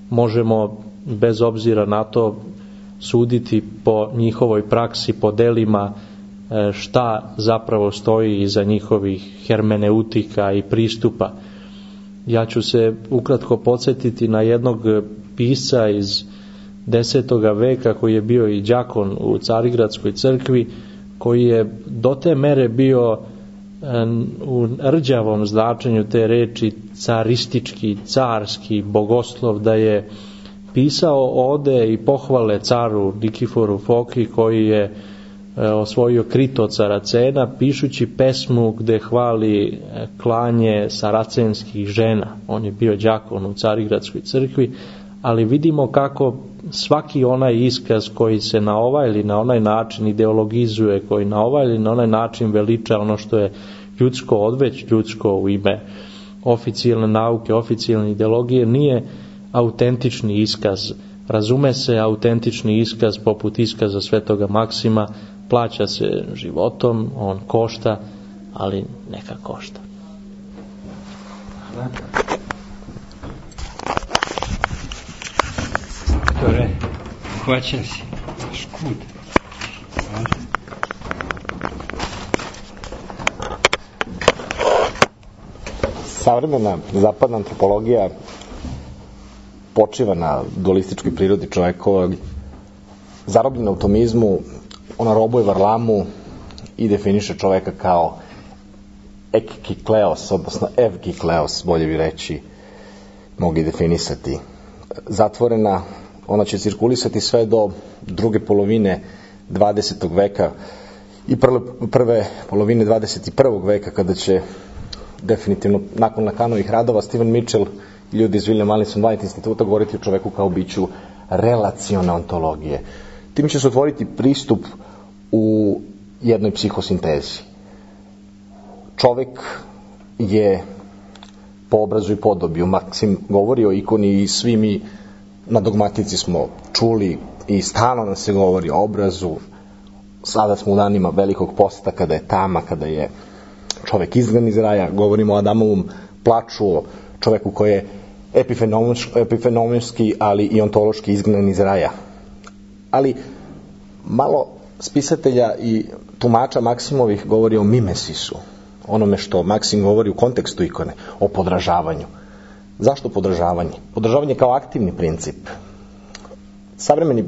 možemo bez obzira na to suditi po njihovoj praksi, po delima, šta zapravo stoji iza njihovih hermeneutika i pristupa. Ja ću se ukratko podsjetiti na jednog pisca iz desetoga veka koji je bio i đakon u Carigradskoj crkvi, koji je do te mere bio u rđavom značenju te reči caristički, carski bogoslov, da je pisao ode i pohvale caru Nikiforu Foki, koji je osvojio Krito od Saracena, pišući pesmu gde hvali klanje saracenskih žena. On je bio đakon u Carigradskoj crkvi, ali vidimo kako svaki onaj iskaz koji se na ovaj ili na onaj način ideologizuje, koji na ovaj ili na onaj način veliča ono što je ljudsko, odveć ljudsko u ime oficijalne nauke, oficijalne ideologije, nije autentični iskaz. Razume se, autentični iskaz poput iskaza Svetoga Maksima plaća se životom, on košta, ali neka košta. Hvala. Doktore, hvaćam si škud. Hvala. Savremena zapadna antropologija počiva na dualističkoj prirodi čovjekovog, zarobljen u tomizmu, ona robuje varlamu i definiše čoveka kao ekikleos, odnosno evkikleos, bolje bi reći, mogu i definisati. Zatvorena, ona će cirkulisati sve do druge polovine dvadesetog veka i prve, prve polovine dvadeset prvog veka, kada će definitivno nakon Lakanovih radova Steven Mitchell i ljudi iz William Allison White instituta govoriti o čoveku kao biću relacione ontologije. Tim će se otvoriti pristup u jednoj psihosintezi. Čovek je po obrazu i podobiju. Maksim govori o ikoni i svi mi na dogmatici smo čuli i stalno nam se govori o obrazu. Sada smo u danima velikog posta, kada je tama, kada je čovek izgnan iz raja. Govorimo o Adamovom plaču, o čoveku koji je epifenomenski, ali i ontološki izgnan iz raja. Ali malo spisatelja i tumača Maksimovih govori o mimesisu, onome što Maksim govori u kontekstu ikone, o podražavanju. Zašto podražavanje? Podražavanje kao aktivni princip. Savremeni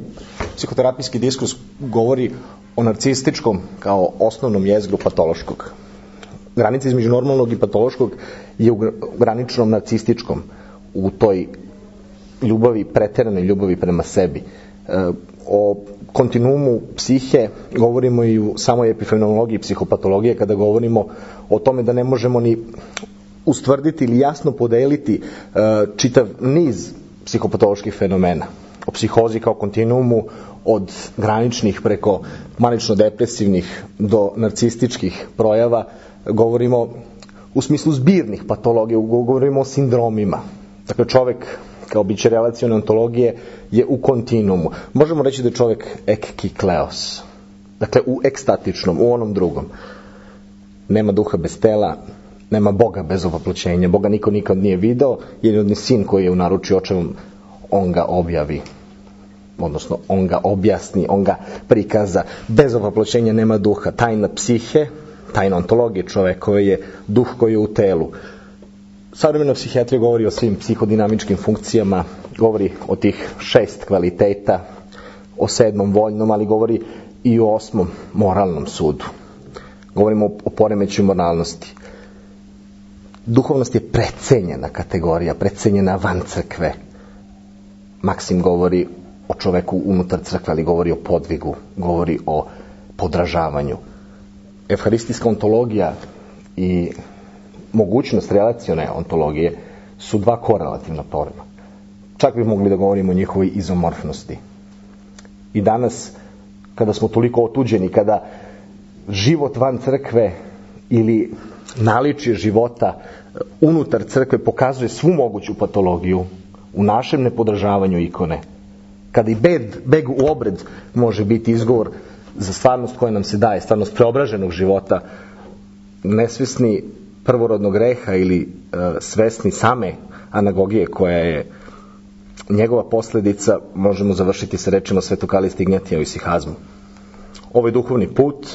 psihoterapijski diskurs govori o narcističkom kao osnovnom jezgru patološkog. Granica između normalnog i patološkog je u graničnom narcističkom, u toj ljubavi, preteranoj ljubavi prema sebi. E, o kontinuumu psihe govorimo i u samoj epifenomenologiji psihopatologije, kada govorimo o tome da ne možemo ni ustvrditi ili jasno podeliti e, čitav niz psihopatoloških fenomena. O psihozi kao kontinuumu od graničnih preko manično-depresivnih do narcističkih projava govorimo u smislu zbirnih patologija, govorimo o sindromima. Dakle, čovek kao biće relacione ontologije je u kontinuumu. Možemo reći da je čovek ekkikleos. Dakle, u ekstatičnom, u onom drugom. Nema duha bez tela, nema Boga bez ovoploćenja. Boga niko nikad nije video, jedini sin koji je u naručju očevom, on ga objavi. Odnosno, on ga objasni, on ga prikaza. Bez ovoploćenja nema duha. Tajna psihe, tajna ontologije čovekove je duh koji je u telu. Savremena psihijatrija govori o svim psihodinamičkim funkcijama, govori o tih šest kvaliteta, o sedmom voljnom, ali govori i o osmom moralnom sudu. Govorimo o poremeću moralnosti. Duhovnost je precenjena kategorija, precenjena van crkve. Maksim govori o čoveku unutar crkve, ali govori o podvigu, govori o podražavanju. Evharistijska ontologija i mogućnost relacione ontologije su dva korelativna pojma. Čak bi mogli da govorimo o njihovoj izomorfnosti. I danas, kada smo toliko otuđeni, kada život van crkve ili naličje života unutar crkve pokazuje svu moguću patologiju u našem nepodražavanju ikone, kada i beg, beg u obred može biti izgovor za stvarnost koja nam se daje, stvarnost preobraženog života, nesvesni prvorodnog greha ili e, svesni same anagogije koja je njegova posledica, možemo završiti sa rečima Svetog Kaliste Ignjatija u isihazmu. Ovaj duhovni put,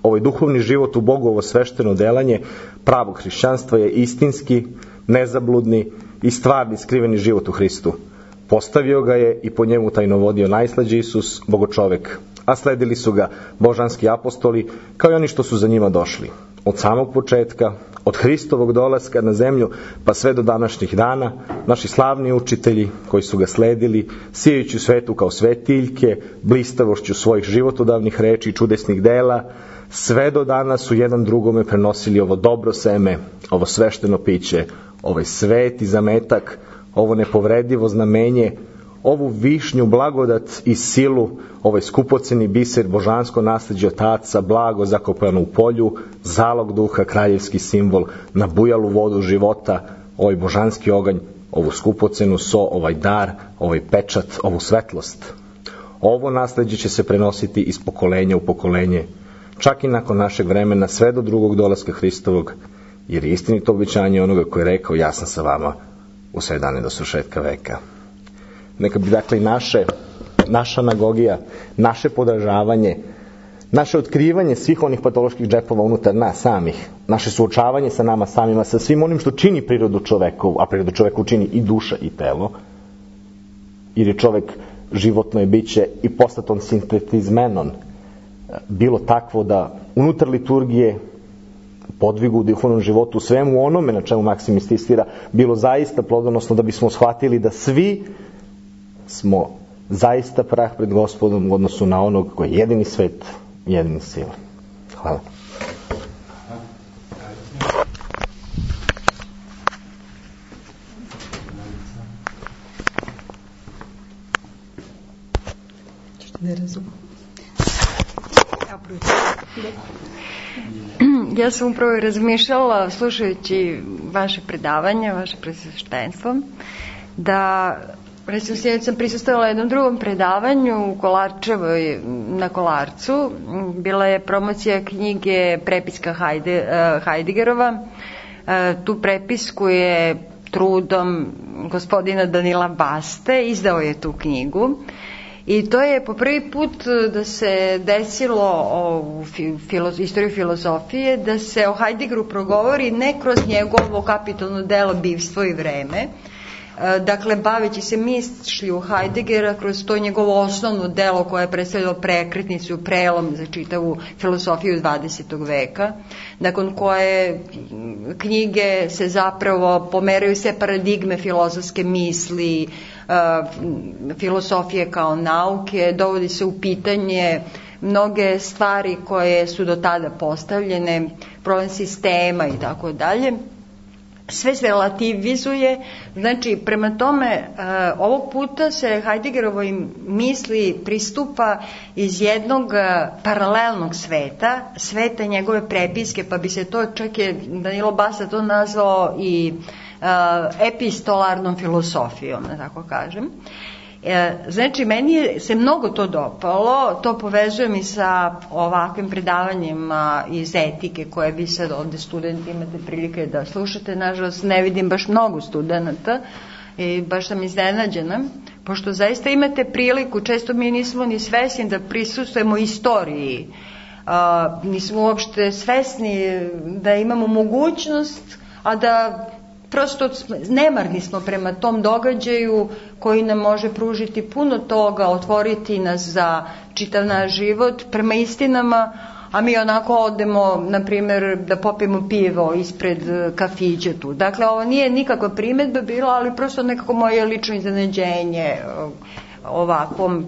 ovaj duhovni život u Bogu, ovo svešteno delanje pravog hrišćanstva je istinski, nezabludni i stvarni skriveni život u Hristu. Postavio ga je i po njemu tajnovodio najslađi Isus, Bogočovek, a sledili su ga božanski apostoli, kao i oni što su za njima došli. Od samog početka, od Hristovog dolaska na zemlju, pa sve do današnjih dana, naši slavni učitelji koji su ga sledili, sijajući svetu kao svetiljke, blistavošću svojih životodavnih reči i čudesnih dela, sve do danas su jedan drugome prenosili ovo dobro seme, ovo svešteno piće, ovaj sveti zametak, ovo nepovredivo znamenje, ovu višnju blagodat i silu, ovaj skupoceni biser, božansko nasleđe otaca, blago zakopano u polju, zalog duha, kraljevski simbol, na bujalu vodu života, ovaj božanski oganj, ovu skupocenu so, ovaj dar, ovaj pečat, ovu svetlost. Ovo nasleđe će se prenositi iz pokolenja u pokolenje, čak i nakon našeg vremena, sve do drugog dolaska Hristovog, jer je istinito obećanje onoga koji je rekao, ja sam sa vama u sve dane do svršetka veka. Neka bi dakle i naše, naša anagogija, naše podražavanje, naše otkrivanje svih onih patoloških džepova unutar nas samih, naše suočavanje sa nama samima, sa svim onim što čini prirodu čovekovu, a prirodu čoveku čini i duša i telo, jer je čovek životno je biće i postaton sintetizmenon, bilo takvo da unutar liturgije, podvigu u duhovnom životu, u svemu onome na čemu Maksim insistira, bilo zaista plodonosno da bismo shvatili da svi smo zaista prah pred Gospodom u odnosu na onog koji je jedini svet, jedini sila. Hvala. Ne razumem. Ja sam upravo razmišljala, slušajući vaše predavanje, vaše presveštenstvo, da recimo sjedeći sam prisustala jednom drugom predavanju u Kolarčevoj na Kolarcu. Bila je promocija knjige Prepiska Hajde, Hajdigerova. Tu prepisku je trudom gospodina Danila Baste izdao je tu knjigu. I to je po prvi put da se desilo u filo, istoriji filozofije, da se o Heideggeru progovori ne kroz njegovo kapitalno delo Bivstvo i vreme, dakle, baveći se mišlju Heideggera kroz to njegovo osnovno delo koje je predstavljalo prekretnicu, prelom za čitavu filosofiju dvadesetog veka, nakon koje knjige se zapravo pomeraju sve paradigme filozofske misli, filosofije kao nauke, dovodi se u pitanje mnoge stvari koje su do tada postavljene, problem sistema i tako dalje. Sve se relativizuje, znači prema tome ovog puta se Heideggerovoj misli pristupa iz jednog paralelnog sveta, sveta njegove prepiske, pa bi se to, čak je Danilo Basta to nazvao i epistolarnom filosofijom, da tako kažem. Znači, meni se mnogo to dopalo, to povezujem i sa ovakvim predavanjima iz etike koje vi sad ovde studenti imate prilike da slušate. Nažalost, ne vidim baš mnogo studenta i baš sam iznenađena, pošto zaista imate priliku, često mi nismo ni svesni da prisustujemo istoriji, a, nismo uopšte svesni da imamo mogućnost, a da prosto nemarni smo prema tom događaju koji nam može pružiti puno toga, otvoriti nas za čitav naš život prema istinama, a mi onako odemo, na primjer, da popijemo pivo ispred kafića tu. Dakle, ovo nije nikakva primedba bila, ali prosto nekako moje lično iznenađenje ovakvom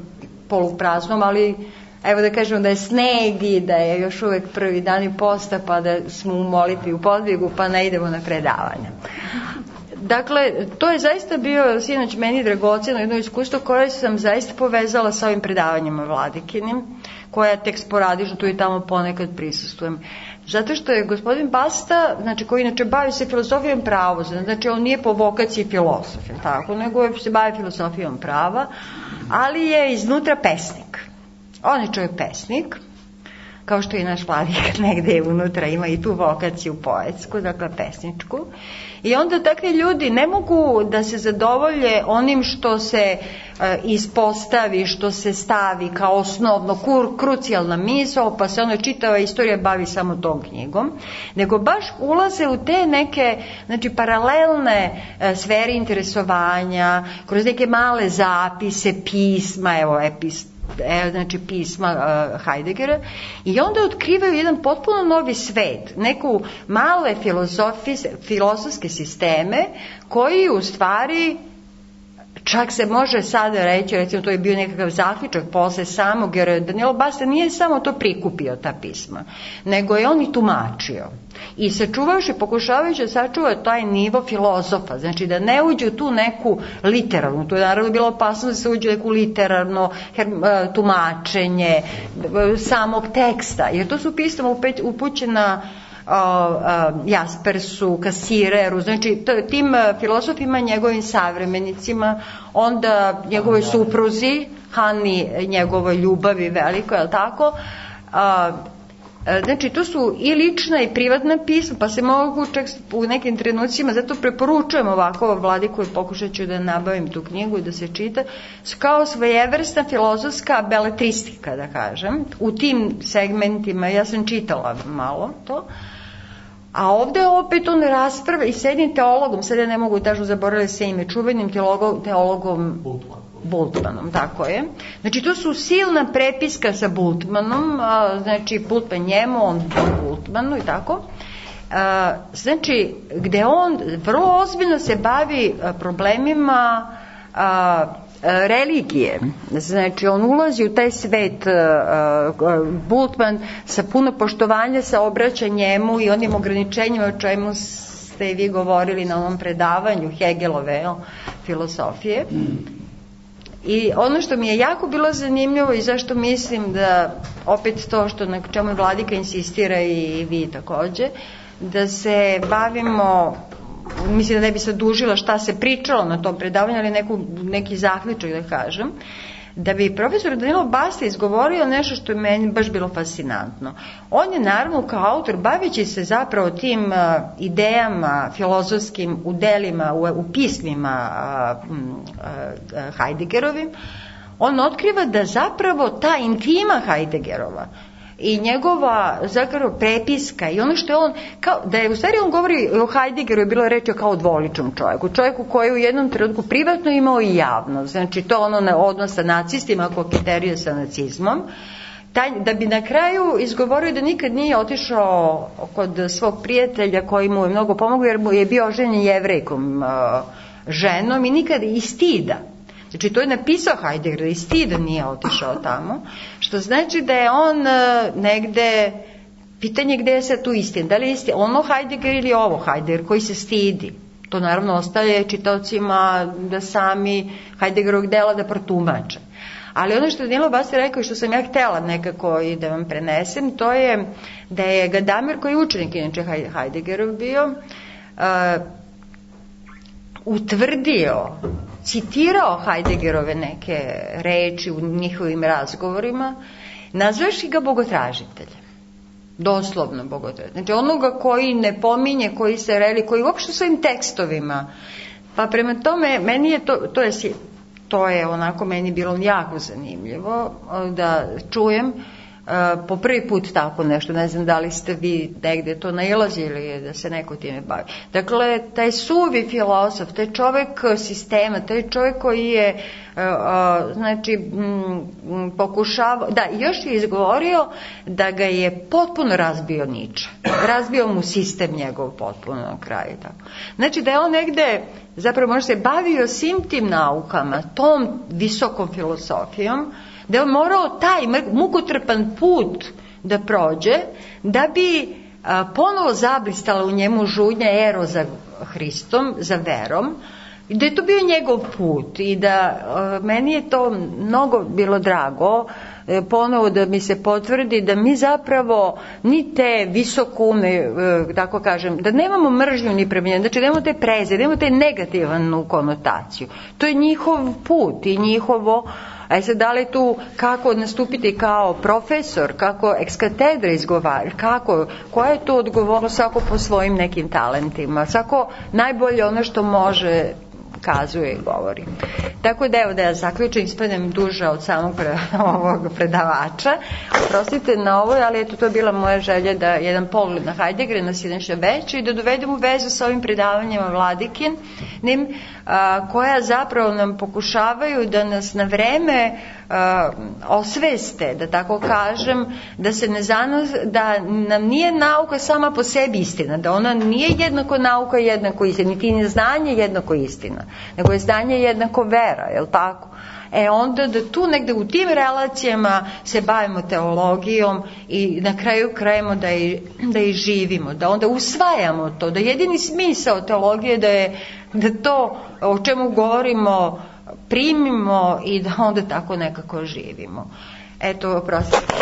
polupraznom, ali evo da kažemo da je sneg i da je još uvek prvi dan i posta, pa da smo u molitvi u podvigu, pa ne idemo na predavanja. Dakle, to je zaista bio sinoć meni dragoceno jedno iskustvo koje sam zaista povezala sa ovim predavanjima Vladikinim, koja tek sporadično tu i tamo ponekad prisustujem. Zato što je gospodin Basta, znači koji inače bavi se filozofijom prava, znači on nije po vokaciji filozof, tako, nego se bavi filozofijom prava, ali je iznutra pesnik. On je čovjek pesnik, kao što i naš Vladika negde unutra ima i tu vokaciju poetsku, dakle pesničku. I onda takvi ljudi ne mogu da se zadovolje onim što se e, ispostavi, što se stavi kao osnovno, kur, krucijalna misao, pa se ono čitava istorija bavi samo tom knjigom, nego baš ulaze u te neke, znači, paralelne e, sfere interesovanja, kroz neke male zapise, pisma, evo, epist, E, znači pisma uh, Heideggera, i onda otkrivaju jedan potpuno novi svet, neku male filozofske sisteme koji u stvari, čak se može sada reći, recimo to je bio nekakav zaključak posle samog, jer Danilo Basta nije samo to prikupio, ta pisma, nego je on i tumačio. I sačuvajući, pokušavajući da sačuva taj nivo filozofa, znači da ne uđe u tu neku literarnu, to je naravno bilo opasno da se uđe u neku literarno tumačenje samog teksta, jer to su pisma upućena Jaspersu, Kasireru, znači tim filozofima, njegovim savremenicima, onda njegovoj supruzi, Hani, njegovoj ljubavi veliko, je li tako? Znači, to su i lična i privatna pisma, pa se mogu čak u nekim trenucima, zato preporučujem ovako Vladiku i pokušat ću da nabavim tu knjigu i da se čita, kao svojevrsna filozofska beletristika, da kažem, u tim segmentima. Ja sam čitala malo to, a ovde opet on rasprava i s jednim teologom, sad ja ne mogu tačno zaboraviti se ime, čuvenim teologom, teologom Bultmanom, tako je. Znači, to su silna prepiska sa Bultmanom, a, znači, Bultman njemu, on Bultmanu i tako. A, znači, gde on vrlo ozbiljno se bavi a, problemima a, religije. Znači, on ulazi u taj svet, uh, Bultman sa puno poštovanja se obraća njemu i onim ograničenjima o čemu ste vi govorili na onom predavanju Hegelove filosofije. I ono što mi je jako bilo zanimljivo i zašto mislim da opet to što na čemu Vladika insistira i vi takođe, da se bavimo, mislim da ne bi se dužila šta se pričalo na tom predavanju, ali neku, neki zaključak da kažem, da bi profesor Danilo Basta izgovorio nešto što je meni baš bilo fascinantno. On je naravno kao autor, bavići se zapravo tim uh, idejama filozofskim u delima, u, u pismima uh, uh, Heideggerovim, on otkriva da zapravo ta intima Heideggerova i njegova zapravo prepiska i ono što je on, kao, da je u stvari on govori o Heideggeru je bilo reći kao o dvoličnom čovjeku, čovjeku koji je u jednom trenutku privatno imao i javno, znači to ono na odnos sa nacistima, kokiterija sa nacizmom, taj, da bi na kraju izgovorio da nikad nije otišao kod svog prijatelja koji mu je mnogo pomogao jer mu je bio oženjen Jevrejkom uh, ženom i nikad iz stida. Znači to je napisao Heidegger da iz stida nije otišao tamo, što znači da je on uh, negde, pitanje gde je sad tu istina, da li je istina ono Heidegger ili ovo Heidegger koji se stidi. To naravno ostaje čitaocima da sami Heideggerovog dela da protumače. Ali ono što je Danilo Basti rekao i što sam ja htjela nekako i da vam prenesem, to je da je Gadamer, koji je učenik inače Heideggerov bio, uh, utvrdio, citirao Heideggerove neke reči u njihovim razgovorima, nazvaši ga bogotražiteljem. Doslovno bogotražiteljem. Znači onoga koji ne pominje, koji se reli, koji uopšte svojim tekstovima. Pa prema tome, meni je to, to je to je onako meni bilo jako zanimljivo da čujem uh, po prvi put tako nešto, ne znam da li ste vi negde to nailazili da se neko time bavi. Dakle, taj suvi filozof, taj čovek sistema, taj čovek koji je uh, uh, znači m, pokušavao, da, još je izgovorio da ga je potpuno razbio Nietzsche, razbio mu sistem njegov potpuno na kraju. Tako. Znači da je on negde zapravo možda se bavio svim tim naukama, tom visokom filozofijom, da je on morao taj mukotrpan put da prođe, da bi a, ponovo zablistala u njemu žudnja ero za Hristom, za verom, i da je to bio njegov put i da a, meni je to mnogo bilo drago, e, ponovo da mi se potvrdi da mi zapravo ni te visokume, e, tako kažem, da nemamo mržnju ni prema njemu, znači da nemamo te preze, da nemamo te negativnu konotaciju. To je njihov put i njihovo. A sad da li tu kako nastupiti kao profesor, kako ex katedra izgovarati, kako, koja je to odgovornost svako po svojim nekim talentima, svako najbolje ono što može kazuje i govori. Tako da evo da ja zaključim, ispadnem duža od samog pre, ovog predavača. Oprostite na ovo, ali eto to je bila moja želja da jedan pogled na Heideggera, na sinoćno veče i da dovedemo u vezu sa ovim predavanjima Vladikin, nim, a, koja zapravo nam pokušavaju da nas na vreme a, osveste, da tako kažem, da se ne zanos, da nam nije nauka sama po sebi istina, da ona nije jednako nauka jednako istina, niti ni znanje jednako istina, nego je znanje jednako vera, je li tako? E onda da tu negde u tim relacijama se bavimo teologijom i na kraju krajemo da i, da i živimo, da onda usvajamo to, da jedini smisao teologije da je da to o čemu govorimo primimo i da onda tako nekako živimo. Eto, oprostite.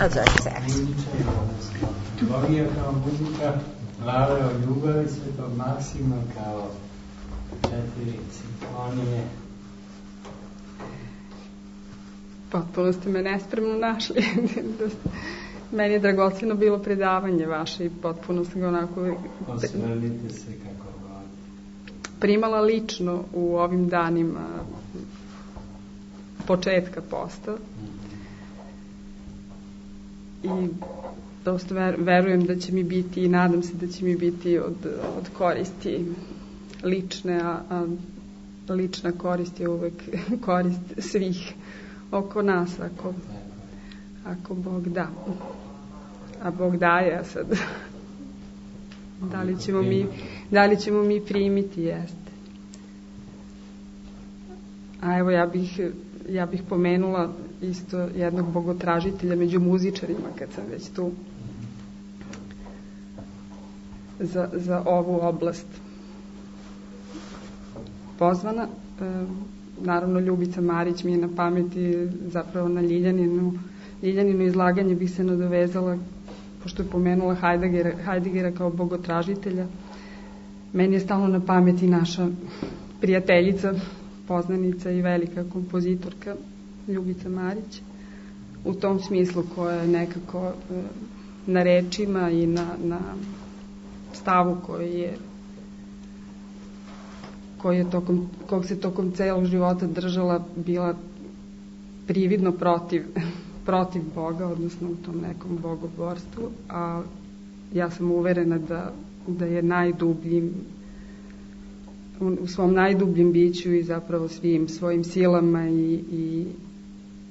A za seks. Teologija kao muzika, glave o ljubavi Svetog Maksima kao četiri simfonije. Potpuno ste me nespremno našli. Meni je dragoceno bilo predavanje vaše i potpuno sam ga onako Osvrnite se kako god. Primala lično u ovim danima početka posta. I dosta verujem da će mi biti i nadam se da će mi biti od, od koristi lične, a, a lična korist je uvek korist svih oko nas, ako, ako Bog da. A Bog daje, a sad da li ćemo mi, da li ćemo mi primiti, jeste. A evo ja bih, ja bih pomenula isto jednog bogotražitelja među muzičarima, kad sam već tu, za, za ovu oblast pozvana. E, naravno Ljubica Marić mi je na pameti, zapravo na Ljiljaninu Ljiljaninu izlaganje bih se nadovezala, pošto je pomenula Heideggera, Heideggera kao bogotražitelja. Meni je stalno na pameti naša prijateljica, poznanica i velika kompozitorka Ljubica Marić, u tom smislu koja je nekako na rečima i na, na stavu koji je koji je tokom, kog se tokom celog života držala bila prividno protiv, protiv Boga, odnosno u tom nekom bogoborstvu, a ja sam uverena da, da je najdubljim, u svom najdubljem biću i zapravo svim svojim silama i, i,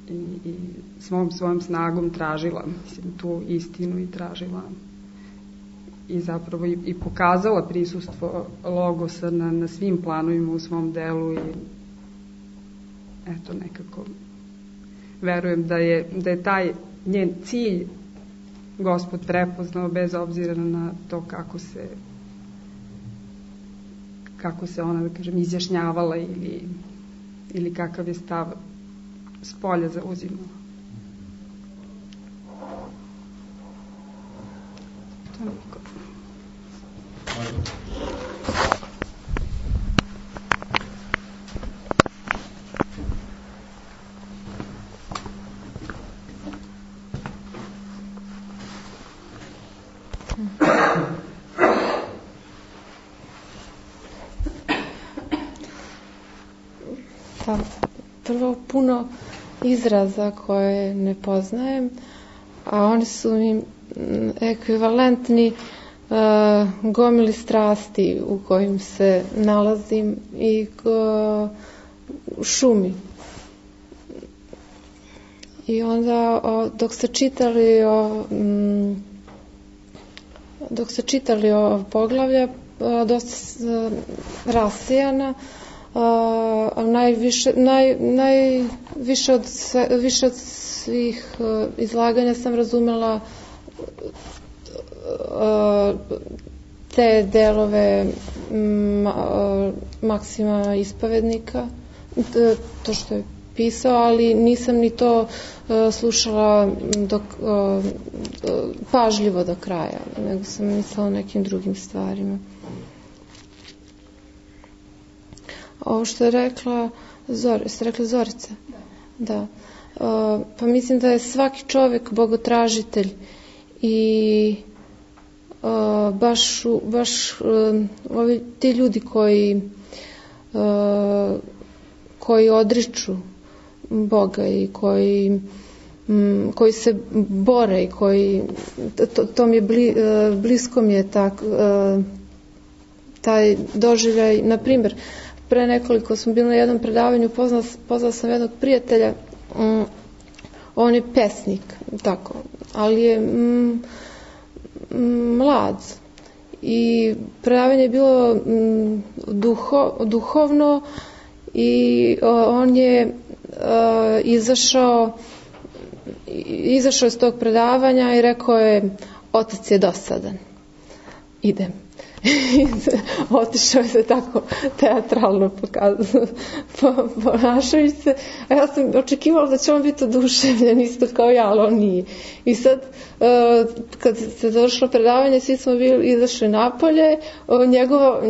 i, i svom svojom snagom tražila, mislim, tu istinu i tražila i zapravo i, i pokazala prisustvo Logosa na, na svim planovima u svom delu i eto nekako verujem da je, da je taj njen cilj Gospod prepoznao bez obzira na to kako se kako se ona, da kažem, izjašnjavala ili, ili kakav je stav s polja zauzimala. Toliko. Pa, prvo puno izraza koje ne poznajem, a oni su mi ekvivalentni uh, gomili strasti u kojim se nalazim i uh, u šumi. I onda o, dok se čitali o m, dok se čitali o poglavlja o, dosta uh, rasijana, Uh, najviše, naj, najviše od, sve, više od svih uh, izlaganja sam razumela uh, te delove m, uh, Maksima Ispovednika, to što je pisao, ali nisam ni to uh, slušala dok, uh, pažljivo do kraja, nego sam mislila o nekim drugim stvarima. Ovo što je rekla Zor, ste rekla Zorica? Da. Da. Uh, pa mislim da je svaki čovjek bogotražitelj i uh, baš, baš uh, ovi, ti ljudi koji uh, koji odriču Boga i koji um, koji se bore i koji to, to mi je bli, uh, blisko mi je tak, uh, taj doživljaj, na primjer pre nekoliko smo bili na jednom predavanju, poznala, poznala sam jednog prijatelja, um, on je pesnik, tako, ali je um, mlad i predavanje je bilo um, duho, duhovno i uh, on je uh, izašao izašao iz tog predavanja i rekao je, otac je dosadan, idem. Otišao je se tako teatralno ponašajući se, a ja sam očekivala da će on biti oduševljen isto kao ja, ali on nije. I sad kad se završilo predavanje, svi smo bili izašli napolje, njegova,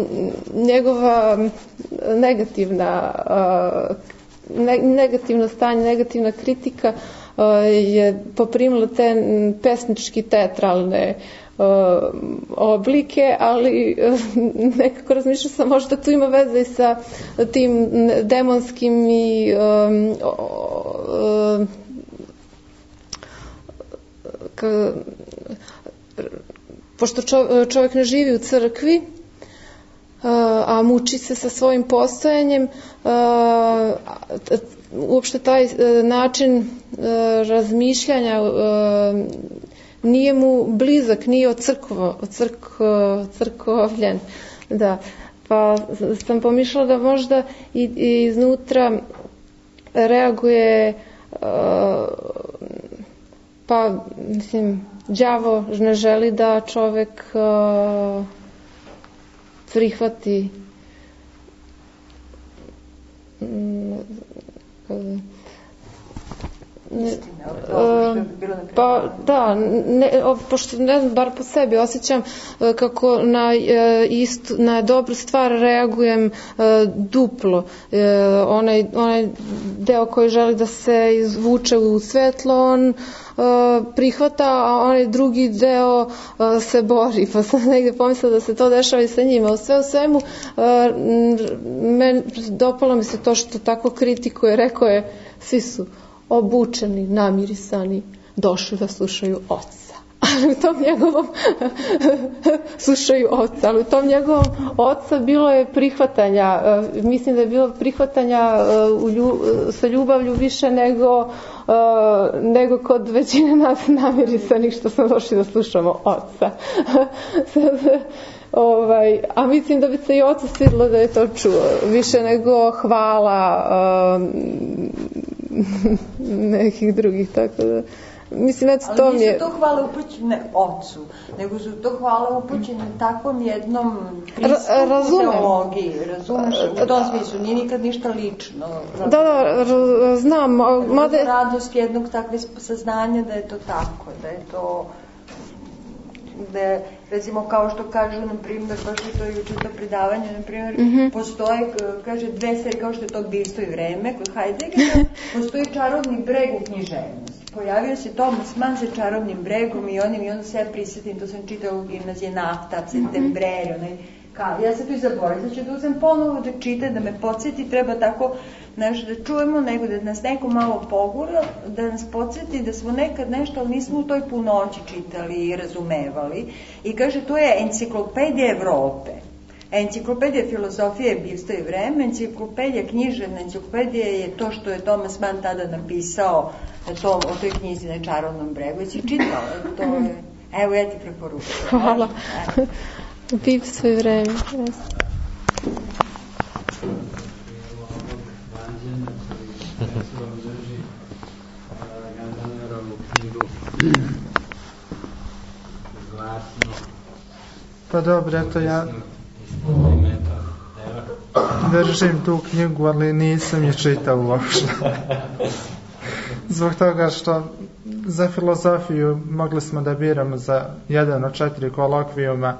njegova negativna negativno stanje, negativna kritika je poprimila te pesnički teatralne oblike, ali nekako razmišljam sam, možda tu ima veze i sa tim demonskim i um, um, ka, pošto čovjek ne živi u crkvi, a muči se sa svojim postojanjem, uopšte taj način razmišljanja nije mu blizak, nije ocrkvo, ocrkvo, crkovljen. Da. Pa sam pomišljala da možda i, i iznutra reaguje pa mislim đavo ne želi da čovek prihvati Ne, uh, pa da, ne, pošto ne znam, bar po sebi osjećam uh, kako na, uh, istu, na dobru stvar reagujem uh, duplo. Uh, onaj, onaj deo koji želi da se izvuče u svetlo, on uh, prihvata, a onaj drugi deo se bori, pa sam negde pomislila da se to dešava i sa njima. U sve u svemu, men, dopalo mi se to što tako kritikuje, rekao je, svi su obučeni, namirisani, došli da slušaju oca. Ali u tom njegovom slušaju oca, ali u tom njegovom oca bilo je prihvatanja, mislim da je bilo prihvatanja u lju, sa ljubavlju više nego, nego kod većine nas namirisanih što smo došli da slušamo oca. Ovaj, a mislim da bi se i ocu svidilo da je to čuo, više nego hvala um, nekih drugih, tako da mislim, eto, to ali mi je... nisu to hvale upućene ocu, nego su to hvale upućene takvom jednom pristupu Razumem. teologiji, razumeš, u tom smislu, nije nikad ništa lično. Da, da, znam. Mada je radost jednog takve saznanja da je to tako, da je to... da recimo kao što kažu, na primjer, baš je to juče to predavanje, na primjer, mm -hmm. postoje, kaže, dve serije, kao što je to Bivstvo i vreme, kod Heideggera, postoji čarobni breg u književnosti. Pojavio se Thomas Mann sa čarobnim bregom i onim, i onda se ja prisjetim, to sam čitala u gimnazije Nafta, Septembreri, onaj, kao, ja se tu i zaboravim, da ću da uzem ponovo da čitam, da me podsjeti, treba tako nešto da čujemo, nego da nas neko malo pogura, da nas podsjeti da smo nekad nešto, ali nismo u toj punoći čitali i razumevali. I kaže, to je enciklopedija Evrope. Enciklopedija filozofije je Bivstvo i vreme, enciklopedija književna, enciklopedija je to što je Thomas Mann tada napisao to, o toj knjizi na Čarobnom bregu. I si čitala, to je... Evo, ja ti preporučujem. Hvala. Bivstvo i vreme. Pa dobro, eto ja držim tu knjigu, ali nisam je čitao uopšte. Zbog toga što za filozofiju mogli smo da biramo za jedan od četiri kolokvijuma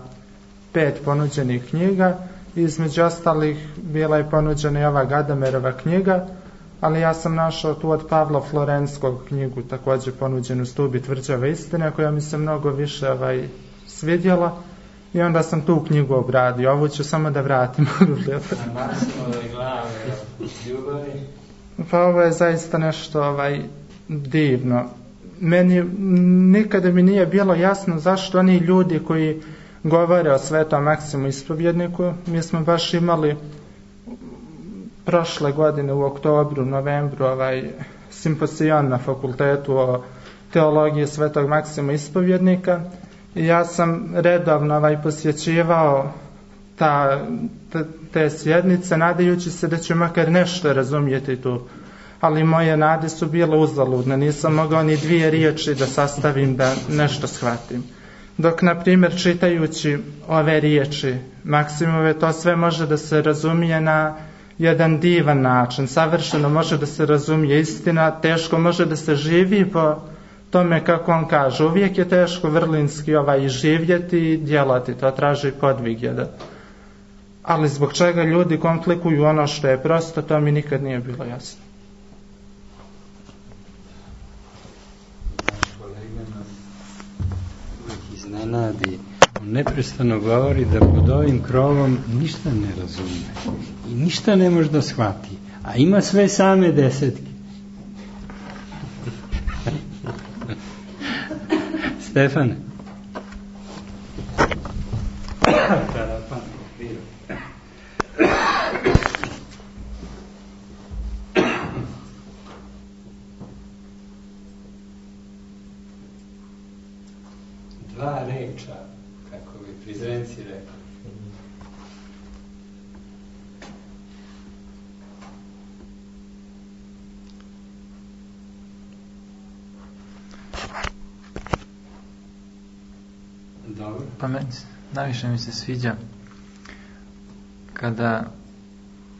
pet ponuđenih knjiga. Između ostalih bila je ponuđena i ova Gadamerova knjiga, ali ja sam našao tu od Pavla Florenskog knjigu, također ponuđenu Stubi tvrđave istine, koja mi se mnogo više ovaj, svidjela, i onda sam tu knjigu obradio. Ovu ću samo da vratim. Pa ovo je zaista nešto ovaj, divno. Meni nikada mi nije bilo jasno zašto oni ljudi koji govore o Svetom Maksimu Ispovjedniku, mi smo baš imali prošle godine u oktobru, novembru ovaj simpozion na fakultetu o teologiji Svetog Maksima Ispovjednika, i ja sam redovno ovaj posjećivao ta, te, te sjednice, nadajući se da ću makar nešto razumjeti tu, ali moje nade su bile uzaludne, nisam mogao ni dvije riječi da sastavim da nešto shvatim. Dok, na primjer, čitajući ove riječi Maksimove, to sve može da se razumije na jedan divan način, savršeno može da se razumije istina, teško može da se živi po tome kako on kaže. Uvijek je teško vrlinski ovaj živjeti i djelati, to traži podvig jedan. Ali zbog čega ljudi komplikuju ono što je prosto, to mi nikad nije bilo jasno. Iznenadi. On neprestano govori da pod ovim krovom ništa ne razume i ništa ne može da shvati, a ima sve same desetke. Stefane. Dva reča, kako bi Prizrenci rekli. Dobro. Pa meni, najviše mi se sviđa kada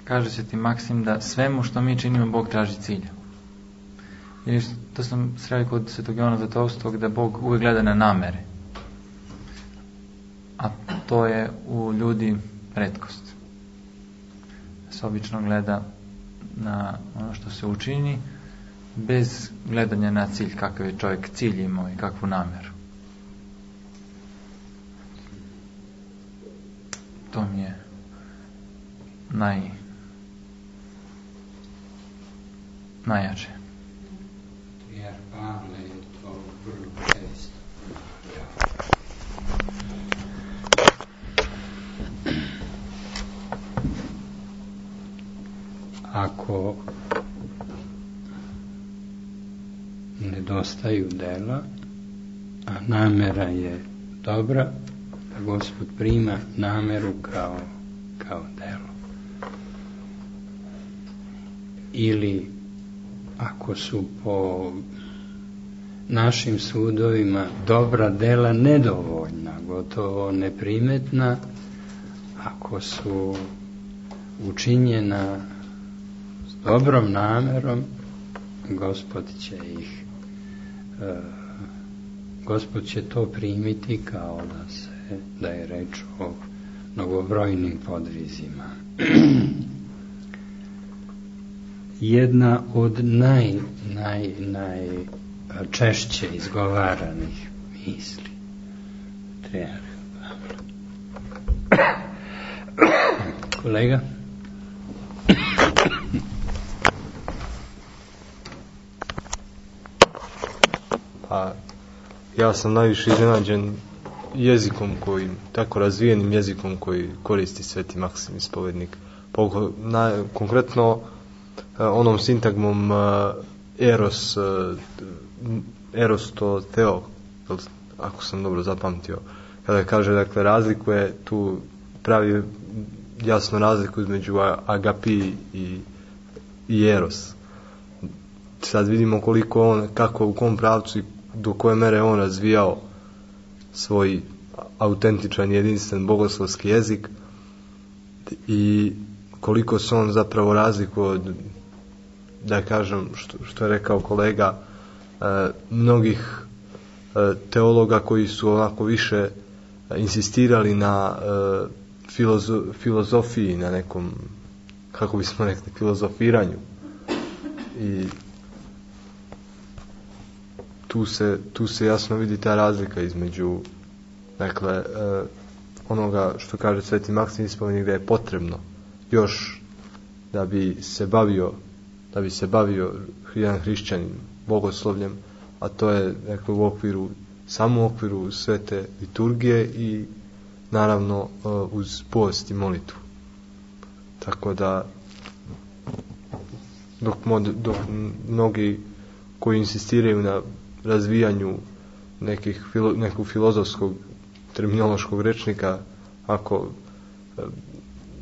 kaže se ti Maksim da svemu što mi činimo Bog traži cilja. I to sam sreo kod Svetog Jovana Zlatovskog, da Bog uvijek gleda na namere. A to je u ljudi retkost. Se obično gleda na ono što se učini, bez gledanja na cilj, kakav je čovjek cilj imao i kakvu namjeru. To mi je naj najjače. Jer Pavle je to vrlo često. Ako nedostaju dela, a namera je dobra, da Gospod prima nameru kao, kao delo. Ili ako su po našim sudovima dobra dela nedovoljna, gotovo neprimetna, ako su učinjena s dobrom namerom, Gospod će ih uh, Gospod će to primiti kao da se da je reč o mnogobrojnim podvizima. Jedna od naj, naj, naj češće izgovaranih misli. Treba. Kolega? Pa, ja sam najviše iznenađen jezikom koji, tako razvijenim jezikom koji koristi Sveti Maksim ispovednik. Poko, na, konkretno onom sintagmom eros, eros to teo, ako sam dobro zapamtio, kada kaže, dakle, razlikuje tu, pravi jasno razliku između agapi i, i eros. Sad vidimo koliko on, kako, u kom pravcu i do koje mere on razvijao svoj autentičan, jedinstven bogoslovski jezik i koliko se on zapravo razlikuje od, da kažem, što, što je rekao kolega, e, mnogih e, teologa koji su onako više insistirali na e, filozo, filozofiji, na nekom, kako bismo rekli, filozofiranju. I tu se, tu se jasno vidi ta razlika između, dakle, e, onoga što kaže Sveti Maksim ispovednik, da je potrebno još da bi se bavio da bi se bavio jedan hrišćanin bogoslovljem, a to je, dakle, u okviru, samo u okviru svete liturgije i naravno uz post i molitvu. Tako da dok, mod, dok mnogi koji insistiraju na razvijanju nekih, nekog filozofskog terminološkog rečnika, ako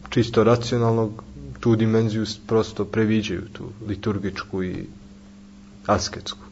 čisto racionalnog, tu dimenziju prosto previđaju, tu liturgičku i asketsku.